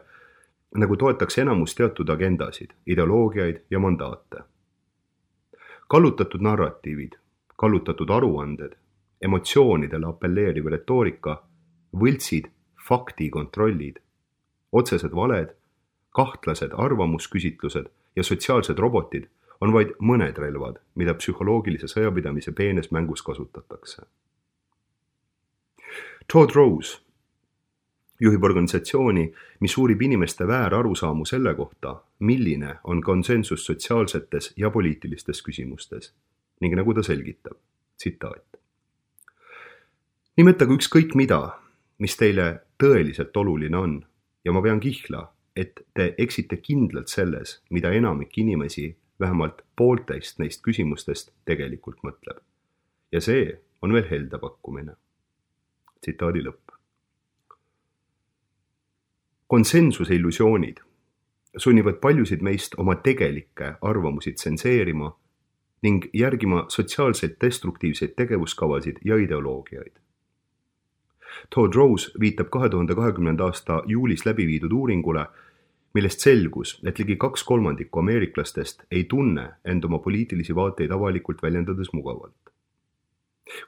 nagu toetaks enamus teatud agendasid, ideoloogiaid ja mandaate. Kallutatud narratiivid, kallutatud aruanded, emotsioonidele apelleeriv retoorika, võltsid, faktikontrollid, otsesed valed, kahtlased arvamusküsitlused ja sotsiaalsed robotid on vaid mõned relvad, mida psühholoogilise sõjapidamise peenes mängus kasutatakse. Todd Rose juhib organisatsiooni, mis uurib inimeste väärarusaamu selle kohta, milline on konsensus sotsiaalsetes ja poliitilistes küsimustes. Ning nagu ta selgitab, tsitaat. Nimetage ükskõik mida, mis teile tõeliselt oluline on ja ma pean kihla, et te eksite kindlalt selles, mida enamik inimesi vähemalt poolteist neist küsimustest tegelikult mõtleb. Ja see on veel helde pakkumine. Tsitaadi lõpp. Konsensuse illusioonid sunnivad paljusid meist oma tegelikke arvamusi tsenseerima ning järgima sotsiaalseid destruktiivseid tegevuskavasid ja ideoloogiaid. Todd Rose viitab 2020. aasta juulis läbi viidud uuringule, millest selgus, et ligi 2/3 ameeriklastest ei tunne end oma poliitilisi vaateid avalikult väljendades mugavalt.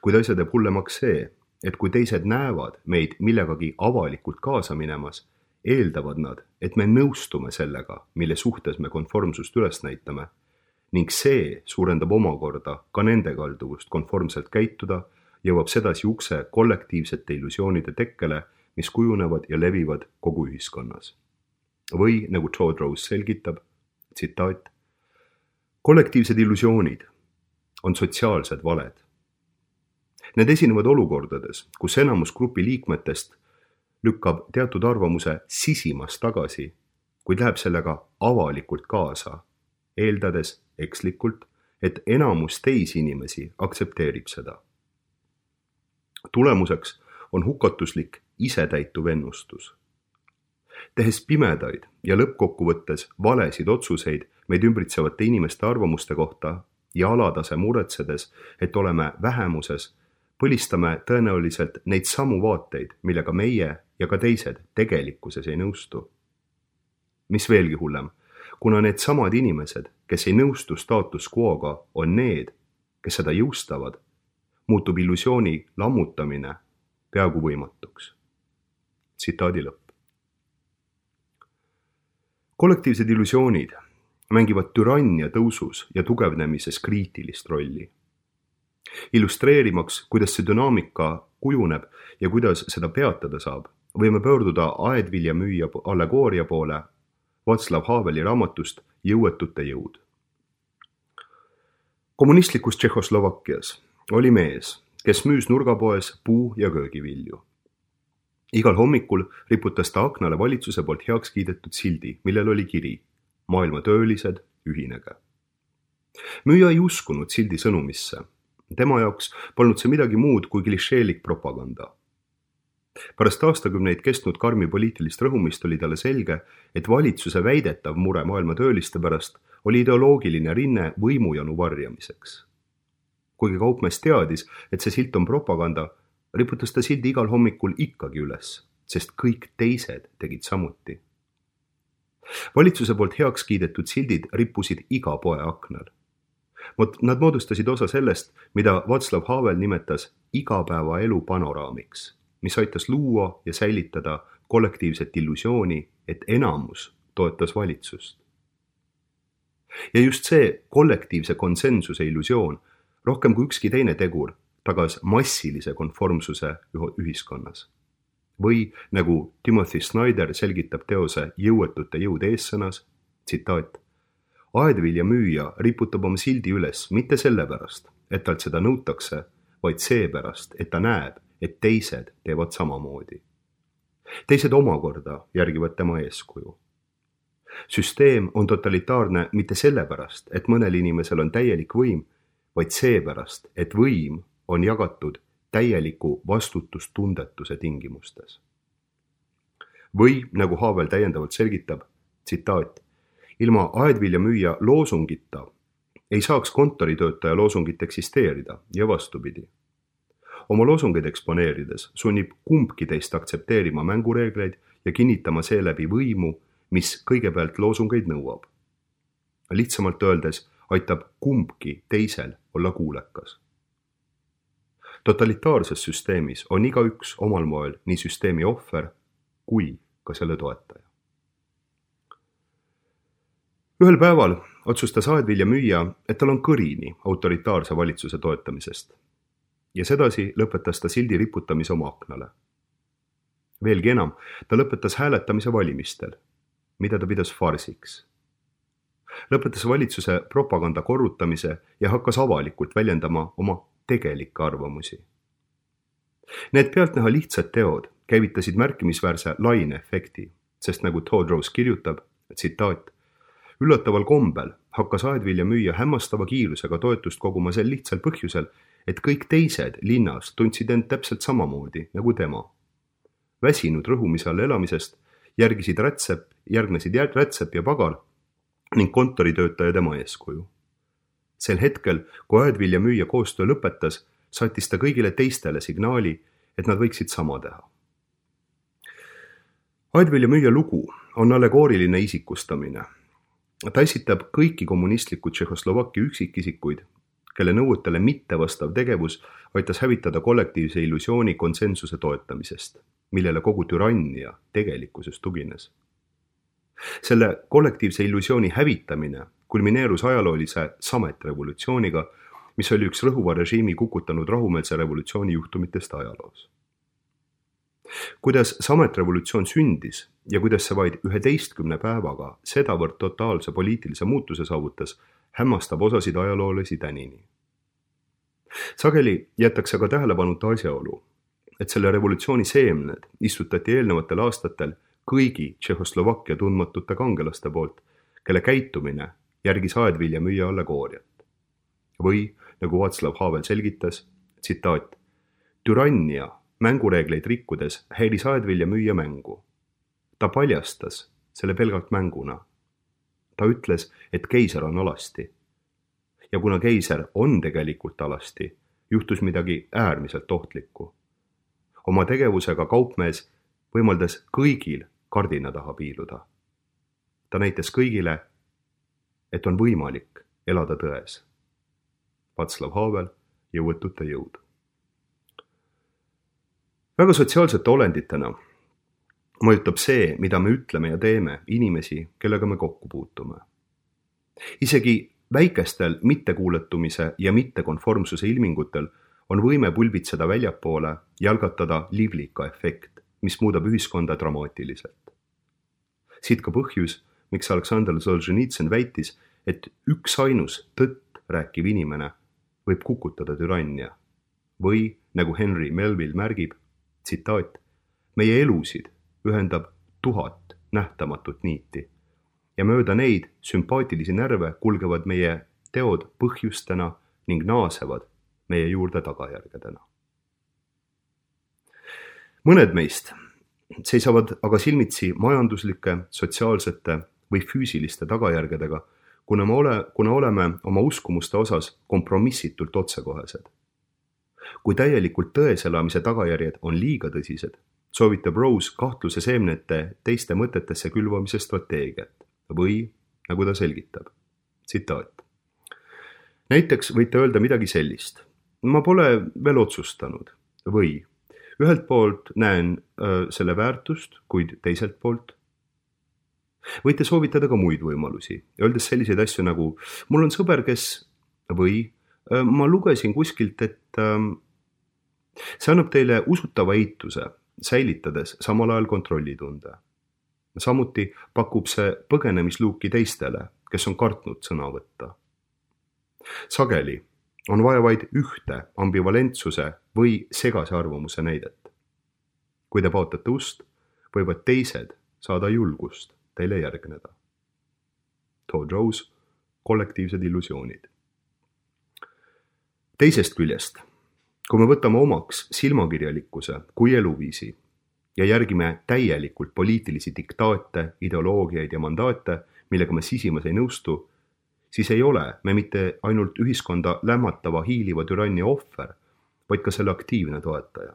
Kuid asja teeb hullemaks see, et kui teised näevad meid millegagi avalikult kaasa minemas, eeldavad nad, et me nõustume sellega, mille suhtes me konformsust üles näitame, ning see suurendab omakorda ka nende kalduvust konformselt käituda, jõuab sedasi ukse kollektiivsete illusioonide tekkele, mis kujunevad ja levivad kogu ühiskonnas. Või nagu Todd Rose selgitab, tsitaat, kollektiivsed illusioonid on sotsiaalsed valed. Need esinevad olukordades, kus enamus grupi liikmetest lükkab teatud arvamuse sisimas tagasi, kuid läheb sellega avalikult kaasa, eeldades ekslikult, et enamus teisi inimesi aktsepteerib seda. Tulemuseks on hukatuslik isetäituv ennustus. Tehes pimedaid ja lõppkokkuvõttes valesid otsuseid meid ümbritsevate inimeste arvamuste kohta ja alatase muretsedes, et oleme vähemuses, põlistame tõenäoliselt neid samu vaateid, millega meie ja ka teised tegelikkuses ei nõustu. Mis veelgi hullem, kuna need samad inimesed, kes ei nõustu status quo'ga, on need, kes seda jõustavad, muutub illusiooni lammutamine peaaegu võimatuks. Tsitaadi lõpp. Kollektiivsed illusioonid mängivad türannia tõusus ja tugevnemises kriitilist rolli. Illustreerimaks, kuidas see dünaamika kujuneb ja kuidas seda peatada saab, võime pöörduda aedviljamüüja allegooria poole Václav Haveli raamatust Jõuetute jõud. Kommunistlikus Tšehhoslovakkias oli mees, kes müüs nurgapoes puu- ja köögivilju. Igal hommikul riputas ta aknale valitsuse poolt heaks kiidetud sildi, millel oli kiri Maailma töölised, ühinege. Müüja ei uskunud sildi sõnumisse. Tema jaoks polnud see midagi muud kui klišeelik propaganda. Pärast aastakümneid kestnud karmi poliitilist rõhumist oli talle selge, et valitsuse väidetav mure maailma tööliste pärast oli ideoloogiline rinne võimujanu varjamiseks. Kuigi kaupmees teadis, et see silt on propaganda, riputas ta sildi igal hommikul ikkagi üles, sest kõik teised tegid samuti. Valitsuse poolt heaks kiidetud sildid rippusid iga poe aknal. Nad moodustasid osa sellest, mida Václav Havel nimetas igapäevaelu panoraamiks, mis aitas luua ja säilitada kollektiivset illusiooni, et enamus toetas valitsust. Ja just see kollektiivse konsensuse illusioon, rohkem kui ükski teine tegur, tagas massilise konformsuse ühiskonnas. Või nagu Timothy Snyder selgitab teose Jõuetute jõud eessõnas, tsitaat, aedviljamüüja riputab oma sildi üles mitte sellepärast, et talt seda nõutakse, vaid seepärast, et ta näeb, et teised teevad samamoodi. Teised omakorda järgivad tema eeskuju. Süsteem on totalitaarne mitte sellepärast, et mõnel inimesel on täielik võim, vaid seepärast, et võim on jagatud täieliku vastutustundetuse tingimustes. Või, nagu Havel täiendavalt selgitab, tsitaat, ilma aedviljamüüja loosungita ei saaks kontoritöötaja loosungit eksisteerida ja vastupidi. Oma loosungeid eksponeerides sunnib kumbki teist aktsepteerima mängureegleid ja kinnitama seeläbi võimu, mis kõigepealt loosungeid nõuab. Lihtsamalt öeldes aitab kumbki teisel olla kuulekas. Totalitaarses süsteemis on igaüks omal moel nii süsteemi ohver kui ka selle toetaja. Ühel päeval otsustas aedviljamüüja, et tal on kõrini autoritaarse valitsuse toetamisest ja sedasi lõpetas ta sildi riputamise oma aknale. Veelgi enam, ta lõpetas hääletamise valimistel, mida ta pidas farsiks. Lõpetas valitsuse propaganda korrutamise ja hakkas avalikult väljendama oma tegelikke arvamusi. Need pealtnäha lihtsad teod käivitasid märkimisväärse laineefekti, sest nagu Todros kirjutab, tsitaat, üllataval kombel hakkas aedviljamüüja hämmastava kiirusega toetust koguma sel lihtsal põhjusel, et kõik teised linnas tundsid end täpselt samamoodi nagu tema. Väsinud rõhumise all elamisest järgnesid rätsep ja pagal ning kontoritöötaja tema eeskuju. Sel hetkel, kui aedviljamüüja koostöö lõpetas, saatis ta kõigile teistele signaali, et nad võiksid sama teha. Aedviljamüüja lugu on allegooriline isikustamine. Ta esitab kõiki kommunistliku Tšehhoslovakkia üksikisikuid, kelle nõuetele mittevastav tegevus aitas hävitada kollektiivse illusiooni konsensuse toetamisest, millele kogu türannia tegelikkuses tugines. Selle kollektiivse illusiooni hävitamine kulmineerus ajaloolise sametrevolutsiooniga, mis oli üks rõhuva režiimi kukutanud rahumeelse revolutsiooni juhtumitest ajaloos. Kuidas sametrevolutsioon sündis ja kuidas see vaid 11 päevaga sedavõrd totaalse poliitilise muutuse saavutas, hämmastab osasid ajaloolasi tänini. Sageli jätakse ka tähelepanuta asjaolu, et selle revolutsiooni seemned istutati eelnevatel aastatel kõigi Tšehhoslovakkia tundmatute kangelaste poolt, kelle käitumine järgis aedviljamüüja allegooriat. Või, nagu Václav Havel selgitas, tsitaat, türannia mängureegleid rikkudes häiris aedviljamüüja mängu. Ta paljastas selle pelgalt mänguna. Ta ütles, et keiser on alasti. Ja kuna keiser on tegelikult alasti, juhtus midagi äärmiselt ohtlikku. Oma tegevusega kaupmees võimaldas kõigil kardina taha piiluda. Ta näitas kõigile, et on võimalik elada tões. Václav Havel, Jõuetute jõud. Väga sotsiaalsete olenditena mõjutab see, mida me ütleme ja teeme inimesi, kellega me kokku puutume. Isegi väikestel mittekuuletumise ja mittekonformsuse ilmingutel on võime pulbitseda väljapoole ja algatada liblika efekt, mis muudab ühiskonda dramaatiliselt. Siit ka põhjus, miks Aleksandr Solženitsõn väitis, et üksainus tõtt rääkiv inimene võib kukutada türannia või, nagu Henry Melville märgib, tsitaat, meie elusid ühendab 1000 nähtamatut niiti ja mööda neid sümpaatilisi närve kulgevad meie teod põhjustena ning naasevad meie juurde tagajärgedena. Mõned meist seisavad aga silmitsi majanduslike, sotsiaalsete või füüsiliste tagajärgedega, kuna oleme oma uskumuste osas kompromissitult otsekohesed. Kui täielikult tões elamise tagajärjed on liiga tõsised, soovitab Rose kahtluse seemnete teiste mõtetesse külvamise strateegiat või, nagu ta selgitab, tsitaat. Näiteks võite öelda midagi sellist. Ma pole veel otsustanud või ühelt poolt näen selle väärtust, kuid teiselt poolt. Võite soovitada ka muid võimalusi, öeldes selliseid asju nagu mul on sõber, kes või ma lugesin kuskilt, et see annab teile usutava eituse, säilitades samal ajal kontrollitunde. Samuti pakub see põgenemisluuki teistele, kes on kartnud sõna võtta. Sageli on vaja vaid ühte ambivalentsuse või segase arvamuse näidet. Kui te paotate ust, võivad teised saada julgust teile järgneda. Todd Rose, kollektiivsed illusioonid. Teisest küljest, kui me võtame omaks silmakirjalikkuse kui eluviisi ja järgime täielikult poliitilisi diktaate, ideoloogiaid ja mandaate, millega me sisimas ei nõustu, siis ei ole me mitte ainult ühiskonda lämmatava hiiliva türannia ohver, vaid ka selle aktiivne toetaja.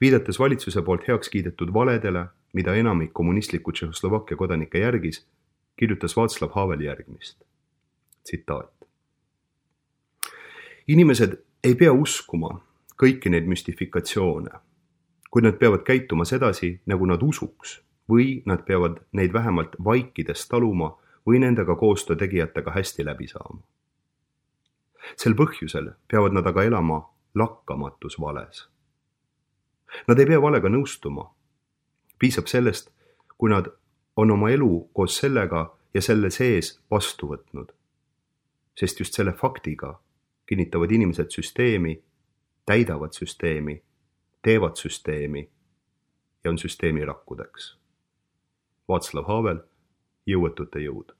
Viidates valitsuse poolt heaks kiidetud valedele, mida enamik kommunistliku Tšehhoslovakkia kodanike järgis, kirjutas Václav Havel järgmist. Tsitaat. Inimesed ei pea uskuma kõiki neid müstifikatsioone, kuid nad peavad käituma sedasi, nagu nad usuks, või nad peavad neid vähemalt vaikides taluma või nendega koostöö tegijatega hästi läbi saama. Sel põhjusel peavad nad aga elama lakkamatus vales. Nad ei pea valega nõustuma. Piisab sellest, kui nad on oma elu koos sellega ja selle sees vastu võtnud. Sest just selle faktiga kinnitavad inimesed süsteemi, täidavad süsteemi, teevad süsteemi ja on süsteemi rakkudeks. Václav Havel, Jõuetute jõud.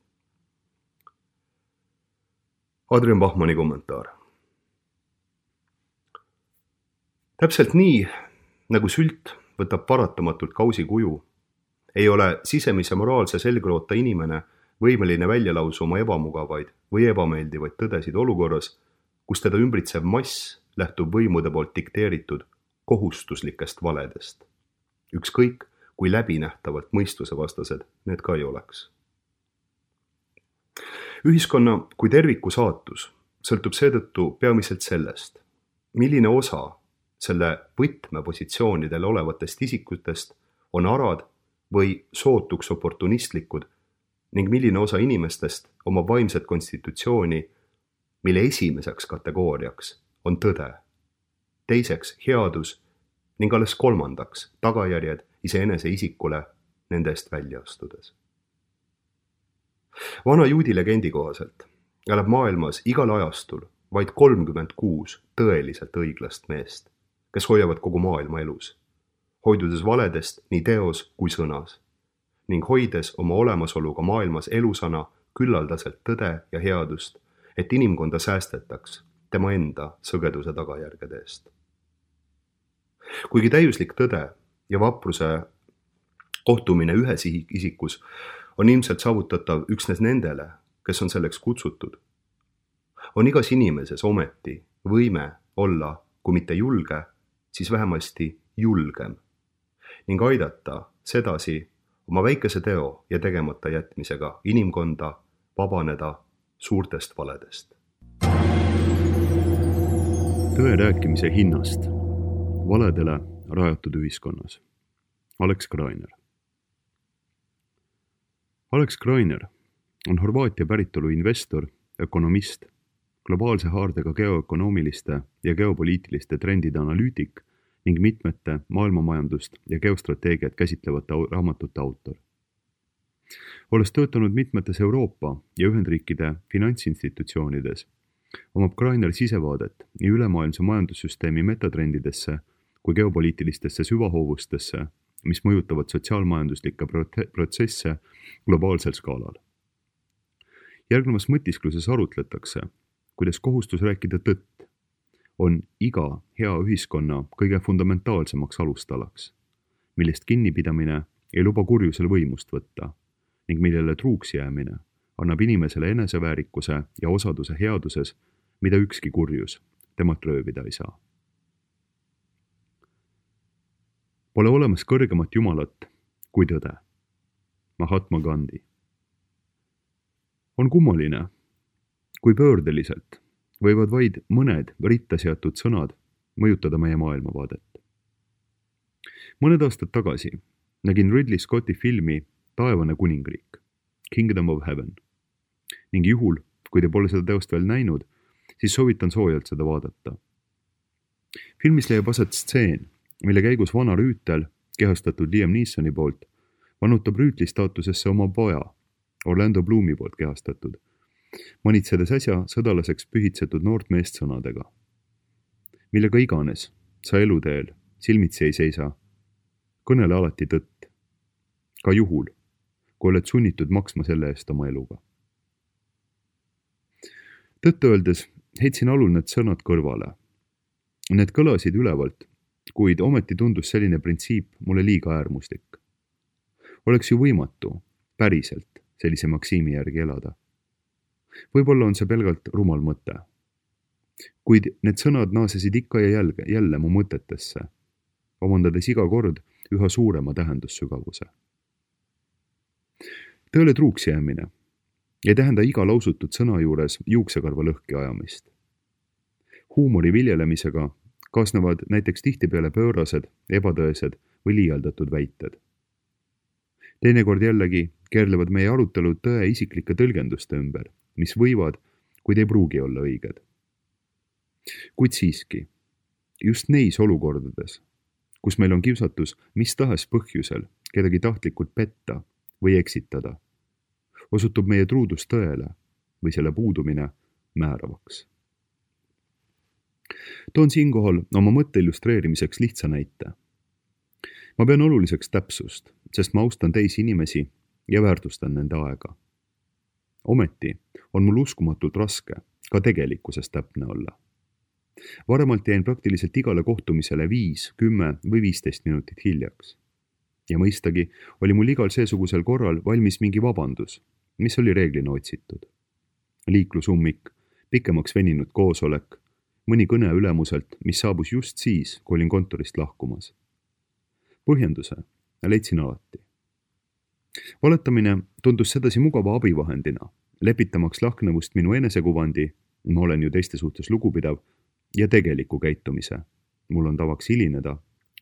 Adrian Bachmanni kommentaar. Täpselt nii, nagu sült võtab paratamatult kausi kuju, ei ole sisemise moraalse selgroota inimene võimeline välja lausa oma ebamugavaid või ebameeldivaid tõdesid olukorras, kus teda ümbritsev mass lähtub võimude poolt dikteeritud kohustuslikest valedest. Ükskõik, kui läbinähtavalt mõistusevastased need ka ei oleks. Ühiskonna kui terviku saatus sõltub seetõttu peamiselt sellest, milline osa selle võtmepositsioonidel olevatest isikutest on arad või sootuks oportunistlikud ning milline osa inimestest omab vaimset konstitutsiooni, mille esimeseks kategooriaks on tõde, teiseks headus ning alles kolmandaks tagajärjed iseenese isikule nende eest välja astudes. Vana juudi legendi kohaselt elab maailmas igal ajastul vaid 36 tõeliselt õiglast meest, kes hoiavad kogu maailma elus, hoidudes valedest nii teos kui sõnas ning hoides oma olemasoluga maailmas elusana küllaldaselt tõde ja headust, et inimkonda säästetaks tema enda sõgeduse tagajärgede eest. Kuigi täiuslik tõde ja vapruse kohtumine ühes isikus on ilmselt saavutatav üksnes nendele, kes on selleks kutsutud, on igas inimeses ometi võime olla, kui mitte julge, siis vähemasti julgem ning aidata sedasi oma väikese teo ja tegemata jätmisega inimkonda vabaneda suurtest valedest. Tõe rääkimise hinnast valedele rajatud ühiskonnas. Alex Greiner. Alex Greiner on Horvaatia päritolu investor, ökonomist, globaalse haardega geoökonoomiliste ja geopoliitiliste trendide analüütik ning mitmete maailmamajandust ja geostrateegiat käsitlevate raamatute autor. Olles töötanud mitmetes Euroopa ja Ühendriikide finantsinstitutsioonides, omab Greiner sisevaadet nii ülemaailmse majandussüsteemi metatrendidesse kui geopoliitilistesse süvahoovustesse, mis mõjutavad sotsiaalmajanduslikke protsesse globaalsel skaalal. Järgnevas mõtiskluses arutletakse, kuidas kohustus rääkida tõtt on iga hea ühiskonna kõige fundamentaalsemaks alustalaks, millest kinnipidamine ei luba kurjusel võimust võtta ning millele truuks jäämine annab inimesele eneseväärikuse ja osaduse headuses, mida ükski kurjus temalt röövida ei saa. Pole olemas kõrgemat jumalat kui tõde. Mahatma Gandhi. On kummaline, kui pöördeliselt võivad vaid mõned ritta seatud sõnad mõjutada meie maailmavaadet. Mõned aastad tagasi nägin Ridley Scotti filmi Taevane kuningriik, Kingdom of Heaven, ning juhul, kui te pole seda teost veel näinud, siis soovitan soojalt seda vaadata. Filmis leiab aset stseen, mille käigus vana rüütel, kehastatud Liam Neesoni poolt, vanutab rüütli staatusesse oma poja, Orlando Bloomi poolt kehastatud, manitsedes äsja sõdalaseks pühitsetud noort meest sõnadega. Millega iganes sa eluteel silmitsi ei seisa, kõnele alati tõtt, ka juhul, kui oled sunnitud maksma selle eest oma eluga. Tõtt öeldes heitsin alul need sõnad kõrvale. Need kõlasid ülevalt, kuid ometi tundus selline printsiip mulle liiga äärmuslik. Oleks ju võimatu päriselt sellise maksiimi järgi elada. Võib-olla on see pelgalt rumal mõte. Kuid need sõnad naasesid ikka ja jälle mu mõtetesse, omandades iga kord üha suurema tähendussügavuse. Tõele truuks jäämine ei tähenda iga lausutud sõna juures juuksekarva lõhki ajamist. Huumori viljelemisega kaasnevad näiteks tihtipeale pöörased, ebatõesed või liialdatud väited. Teinekord jällegi keerlevad meie arutelud tõe isiklike tõlgenduste ümber, mis võivad, kuid ei pruugi olla õiged. Kuid siiski, just neis olukordades, kus meil on kiusatus mis tahes põhjusel kedagi tahtlikult petta või eksitada, osutub meie truudus tõele või selle puudumine määravaks. Toon siinkohal oma mõtte illustreerimiseks lihtsa näite. Ma pean oluliseks täpsust, sest ma austan teisi inimesi ja väärtustan nende aega. Ometi on mul uskumatult raske ka tegelikkuses täpne olla. Varemalt jäin praktiliselt igale kohtumisele 5, 10 või 15 minutit hiljaks. Ja mõistagi oli mul igal seesugusel korral valmis mingi vabandus, mis oli reeglina otsitud. Liiklusummik, pikemaks veninud koosolek, mõni kõne ülemuselt, mis saabus just siis, kui olin kontorist lahkumas. Põhjenduse leidsin alati. Valetamine tundus sedasi mugava abivahendina, lepitamaks lahknevust minu enesekuvandi, ma olen ju teiste suhtes lugupidav, ja tegeliku käitumise, mul on tavaks hilineda,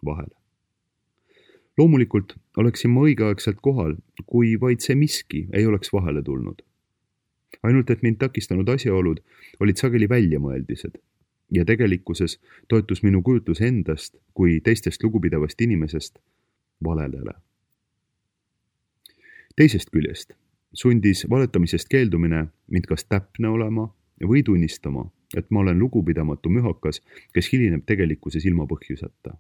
vahel. Loomulikult oleksin ma õigeaegselt kohal, kui vaid see miski ei oleks vahele tulnud. Ainult et mind takistanud asjaolud olid sageli väljamõeldised ja tegelikkuses toetus minu kujutlus endast kui teistest lugupidavast inimesest valelele. Teisest küljest sundis valetamisest keeldumine mind kas täpne olema või tunnistama, et ma olen lugupidamatu mühakas, kes hilineb tegelikkuses ilma põhjuseta.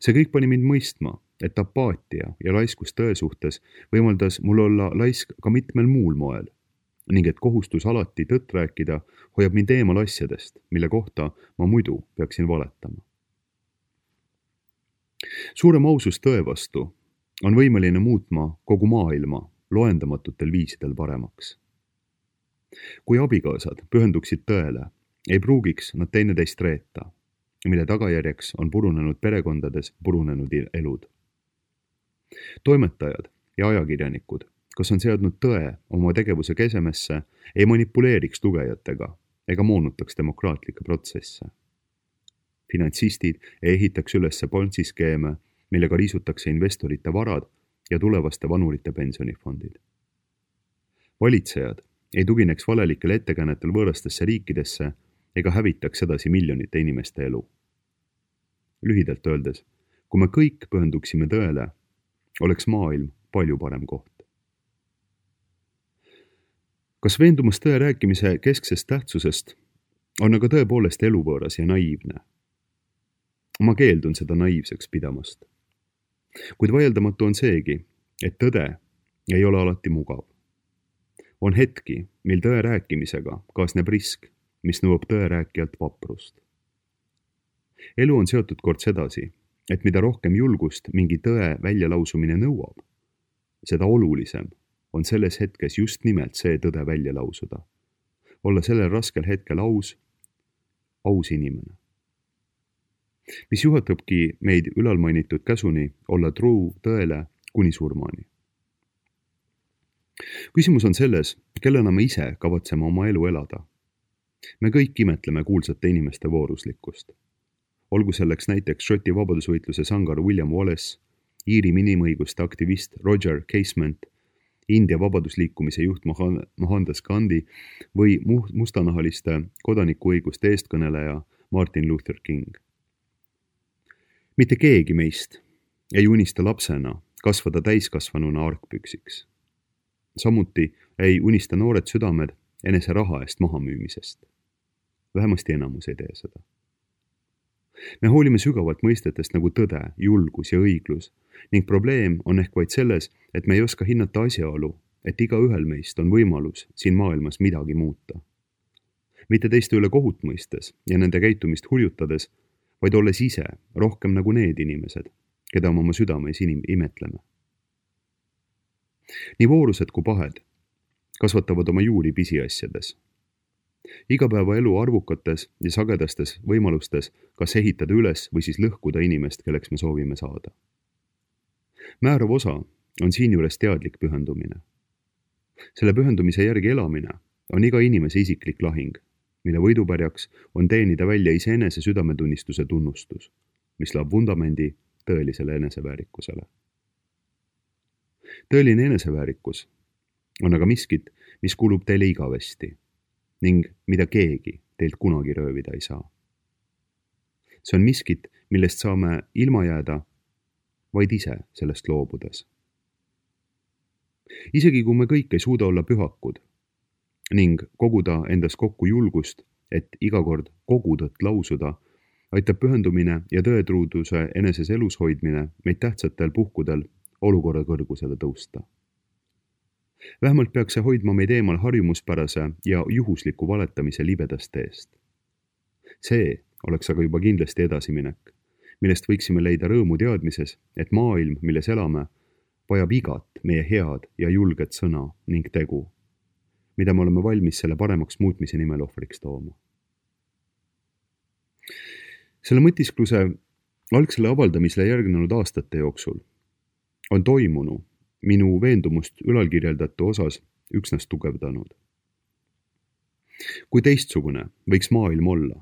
See kõik pani mind mõistma, et apaatia ja laiskus tõe suhtes võimaldas mul olla laisk ka mitmel muul moel ning et kohustus alati tõtt rääkida hoiab mind eemal asjadest, mille kohta ma muidu peaksin valetama. Suurem ausus tõe vastu on võimeline muutma kogu maailma loendamatutel viisidel paremaks. Kui abikaasad pühenduksid tõele, ei pruugiks nad teineteist reeta, mille tagajärjeks on purunenud perekondades purunenud elud. Toimetajad ja ajakirjanikud, kas on seadnud tõe oma tegevuse kesemesse, ei manipuleeriks lugejatega ega moonutaks demokraatlikke protsesse. Finantsistid ei ehitaks ülesse Ponzi-skeeme, millega riisutakse investorite varad ja tulevaste vanurite pensionifondid. Valitsejad ei tugineks valelikel ettekäänetel võõrastesse riikidesse ega hävitaks edasi miljonite inimeste elu. Lühidalt öeldes, kui me kõik pühenduksime tõele, oleks maailm palju parem koht. Kas veendumus tõe rääkimise kesksest tähtsusest on aga tõepoolest eluvõõras ja naiivne? Ma keeldun seda naiivseks pidamast. Kuid vaieldamatu on seegi, et tõde ei ole alati mugav. On hetki, mil tõe rääkimisega kaasneb risk, mis nõuab tõe rääkijalt vaprust. Elu on seotud kord sedasi, et mida rohkem julgust mingi tõe väljalausumine nõuab, seda olulisem on selles hetkes just nimelt see tõde välja lausuda. Olla sellel raskel hetkel aus inimene. Mis juhatabki meid ülalmainitud käsuni olla truu tõele kuni surmani. Küsimus on selles, kellena me ise kavatseme oma elu elada. Me kõik imetleme kuulsate inimeste vooruslikkust. Olgu selleks näiteks Šoti vabadusvõitluse sangar William Wallace, Iiri inimõiguste aktivist Roger Casement, India vabadusliikumise juht Mohandas Gandhi või mustanahaliste kodanikuõiguste eestkõneleja Martin Luther King. Mitte keegi meist ei unista lapsena kasvada täiskasvanuna argpüksiks. Samuti ei unista noored südamed enese raha eest mahamüümisest. Vähemasti enamus ei tee seda. Me hoolime sügavalt mõistetest nagu tõde, julgus ja õiglus ning probleem on ehk vaid selles, et me ei oska hinnata asjaolu, et igaühel meist on võimalus siin maailmas midagi muuta. Mitte teiste üle kohut mõistes ja nende käitumist hurjutades, vaid olles ise rohkem nagu need inimesed, keda me oma südames imetleme. Nii voorused kui pahed kasvatavad oma juuri pisiasjades. Igapäevaelu arvukates ja sagedastes võimalustes kas ehitada üles või siis lõhkuda inimest, kelleks me soovime saada. Määrav osa on siinjuures teadlik pühendumine. Selle pühendumise järgi elamine on iga inimese isiklik lahing, mille võidupärjaks on teenida välja iseenese südametunnistuse tunnustus, mis loob vundamendi tõelisele eneseväärikusele. Tõeline eneseväärikus on aga miskit, mis kuulub teile igavesti ning mida keegi teilt kunagi röövida ei saa. See on miskit, millest saame ilma jääda vaid ise sellest loobudes. Isegi kui me kõik ei suuda olla pühakud ning koguda endas kokku julgust, et iga kord kogu tõtt lausuda, aitab pühendumine ja tõetruuduse eneses elus hoidmine meid tähtsatel puhkudel olukorra kõrgusele tõusta. Vähemalt peaks see hoidma meid eemal harjumuspärase ja juhusliku valetamise libedast teest. See oleks aga juba kindlasti edasiminek, millest võiksime leida rõõmu teadmises, et maailm, milles elame, vajab igat meie head ja julget sõna ning tegu, mida me oleme valmis selle paremaks muutmise nimel ohvriks tooma. Selle mõtiskluse algsele avaldamisele järgnenud aastate jooksul on toimunu minu veendumust ülalkirjeldatu osas üksnes tugevdanud. Kui teistsugune võiks maailm olla,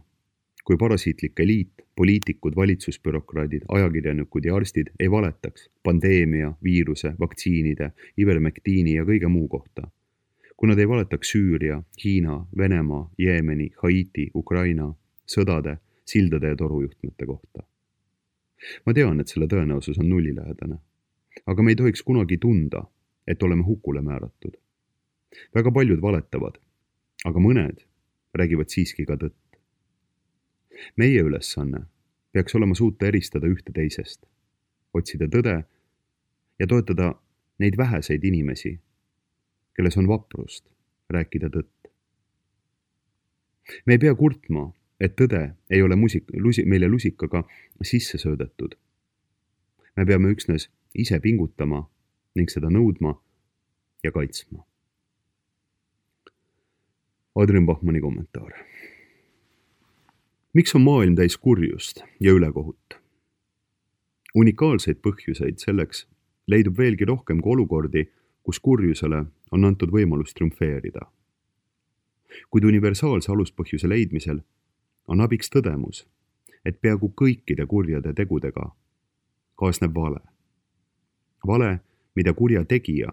kui parasiitlik eliit, poliitikud, valitsusbürokraadid, ajakirjanikud ja arstid ei valetaks pandeemia, viiruse, vaktsiinide, ivermektiini ja kõige muu kohta, kui nad ei valetaks Süüria, Hiina, Venemaa, Jeemeni, Haiti, Ukraina, sõdade, sildade ja torujuhtmete kohta. Ma tean, et selle tõenäosus on nullilähedane. Aga me ei tohiks kunagi tunda, et oleme hukule määratud. Väga paljud valetavad, aga mõned räägivad siiski ka tõtt. Meie ülesanne peaks olema suuta eristada ühte teisest, otsida tõde ja toetada neid väheseid inimesi, kelles on vaprust rääkida tõtt. Me ei pea kurtma, et tõde ei ole meile lusikaga sisse söödetud. Me peame üksnes ise pingutama ning seda nõudma ja kaitsma. Adrian Bachmanni kommentaar. Miks on maailm täis kurjust ja ülekohut? Unikaalseid põhjuseid selleks leidub veelgi rohkem kui olukordi, kus kurjusele on antud võimalus triumfeerida. Kuid universaalse aluspõhjuse leidmisel on abiks tõdemus, et peaaegu kõikide kurjade tegudega kaasneb vale. Vale, mida kurja tegija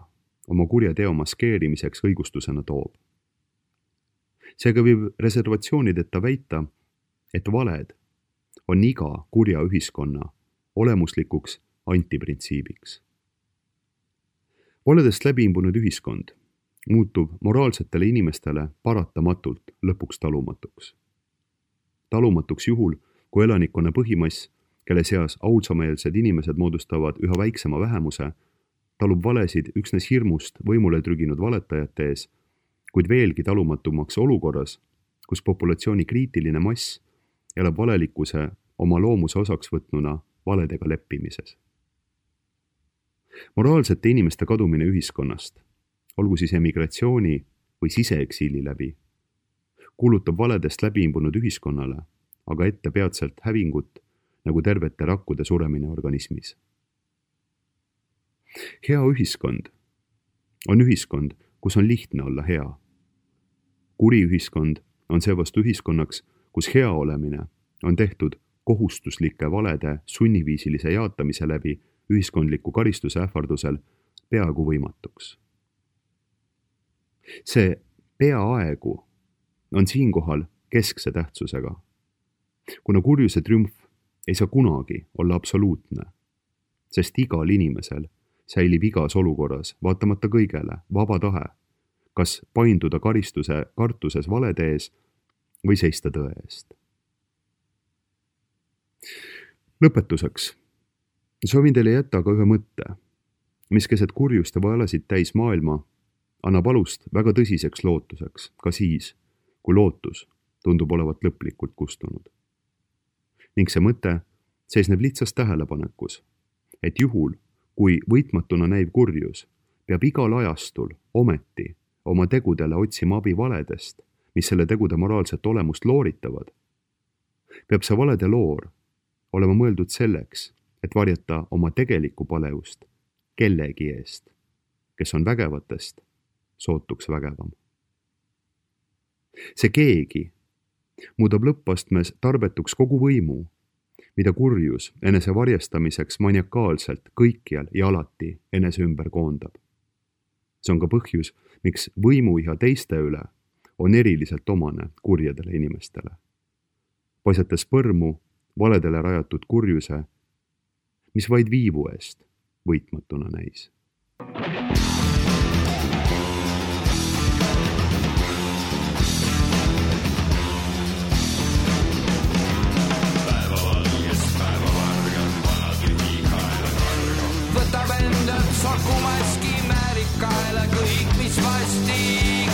oma kurjateo maskeerimiseks õigustusena toob. Seega võib reservatsioonideta väita, et valed on iga kurja ühiskonna olemuslikuks antiprintsiibiks. Valedest läbiimbunud ühiskond muutub moraalsetele inimestele paratamatult lõpuks talumatuks. Talumatuks juhul, kui elanikkonna põhimass, kelle seas audsameelsed inimesed moodustavad üha väiksema vähemuse, talub valesid üksnes hirmust võimule trüginud valetajate ees, kuid veelgi talumatumaks olukorras, kus populatsiooni kriitiline mass elab valelikkuse oma loomuse osaks võtnuna valedega leppimises. Moraalsete inimeste kadumine ühiskonnast, olgu siis emigratsiooni või siseeksiili läbi, kuulutab valedest läbiimbunud ühiskonnale aga ette peatselt hävingut nagu tervete rakkude suremine organismis. Hea ühiskond on ühiskond, kus on lihtne olla hea. Kuri ühiskond on seevastu ühiskonnaks, kus hea olemine on tehtud kohustuslike valede sunniviisilise jaatamise läbi ühiskondliku karistuse ähvardusel peaaegu võimatuks. See peaaegu on siinkohal keskse tähtsusega, kuna kurjuse triumf ei saa kunagi olla absoluutne, sest igal inimesel säilib igas olukorras, vaatamata kõigele, vaba tahe, kas painduda karistuse kartuses valede ees või seista tõe eest. Lõpetuseks soovin teile jätta aga ühe mõtte, mis keset kurjust ja valesid täis maailma annab alust väga tõsiseks lootuseks, ka siis, kui lootus tundub olevat lõplikult kustunud. Ning see mõte seisneb lihtsas tähelepanekus, et juhul, kui võitmatuna näiv kurjus peab igal ajastul ometi oma tegudele otsima abi valedest, mis selle tegude moraalset olemust looritavad, peab see valede loor olema mõeldud selleks, et varjata oma tegelikku paleust kellegi eest, kes on vägevatest sootuks vägevam. See keegi muudab lõppastmes tarbetuks kogu võimu, mida kurjus enese varjastamiseks maniakaalselt kõikjal ja alati enese ümber koondab. See on ka põhjus, miks võimuiha teiste üle on eriliselt omane kurjadele inimestele, paisates põrmu valedele rajatud kurjuse, mis vaid viivu eest võitmatuna näis. Võtab endalt sokumaski määrikaela kõik, mis vastik.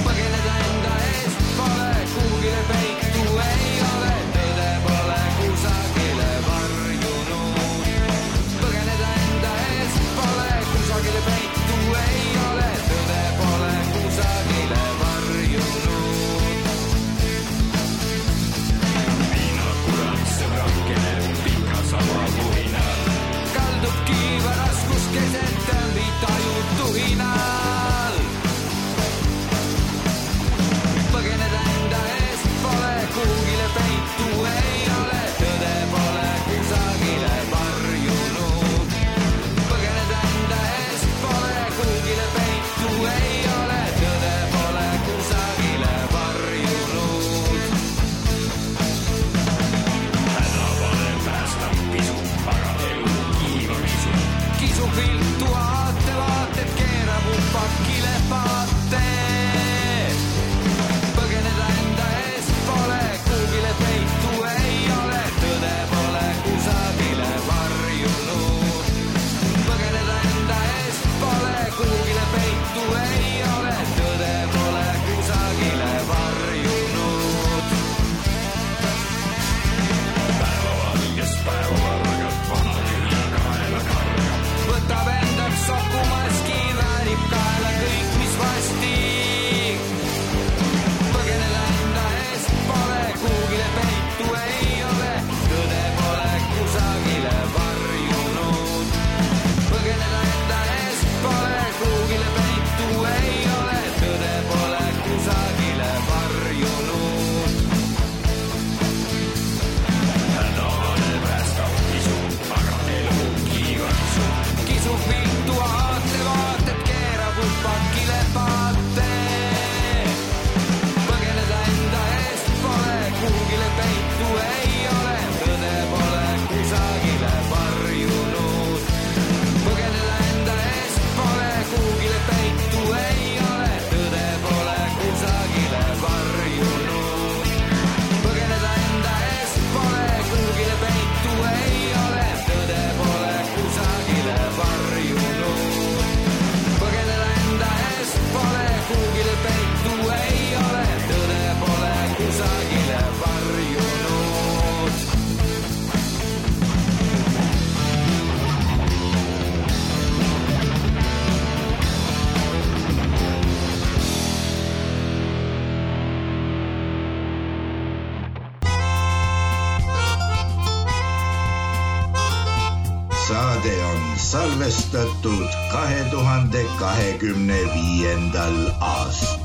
Põgeneda enda eest pole kuhugile peitu ei ole, tõde pole kusagile varjunud. Põgeneda enda eest pole saade on salvestatud 2025. aastal.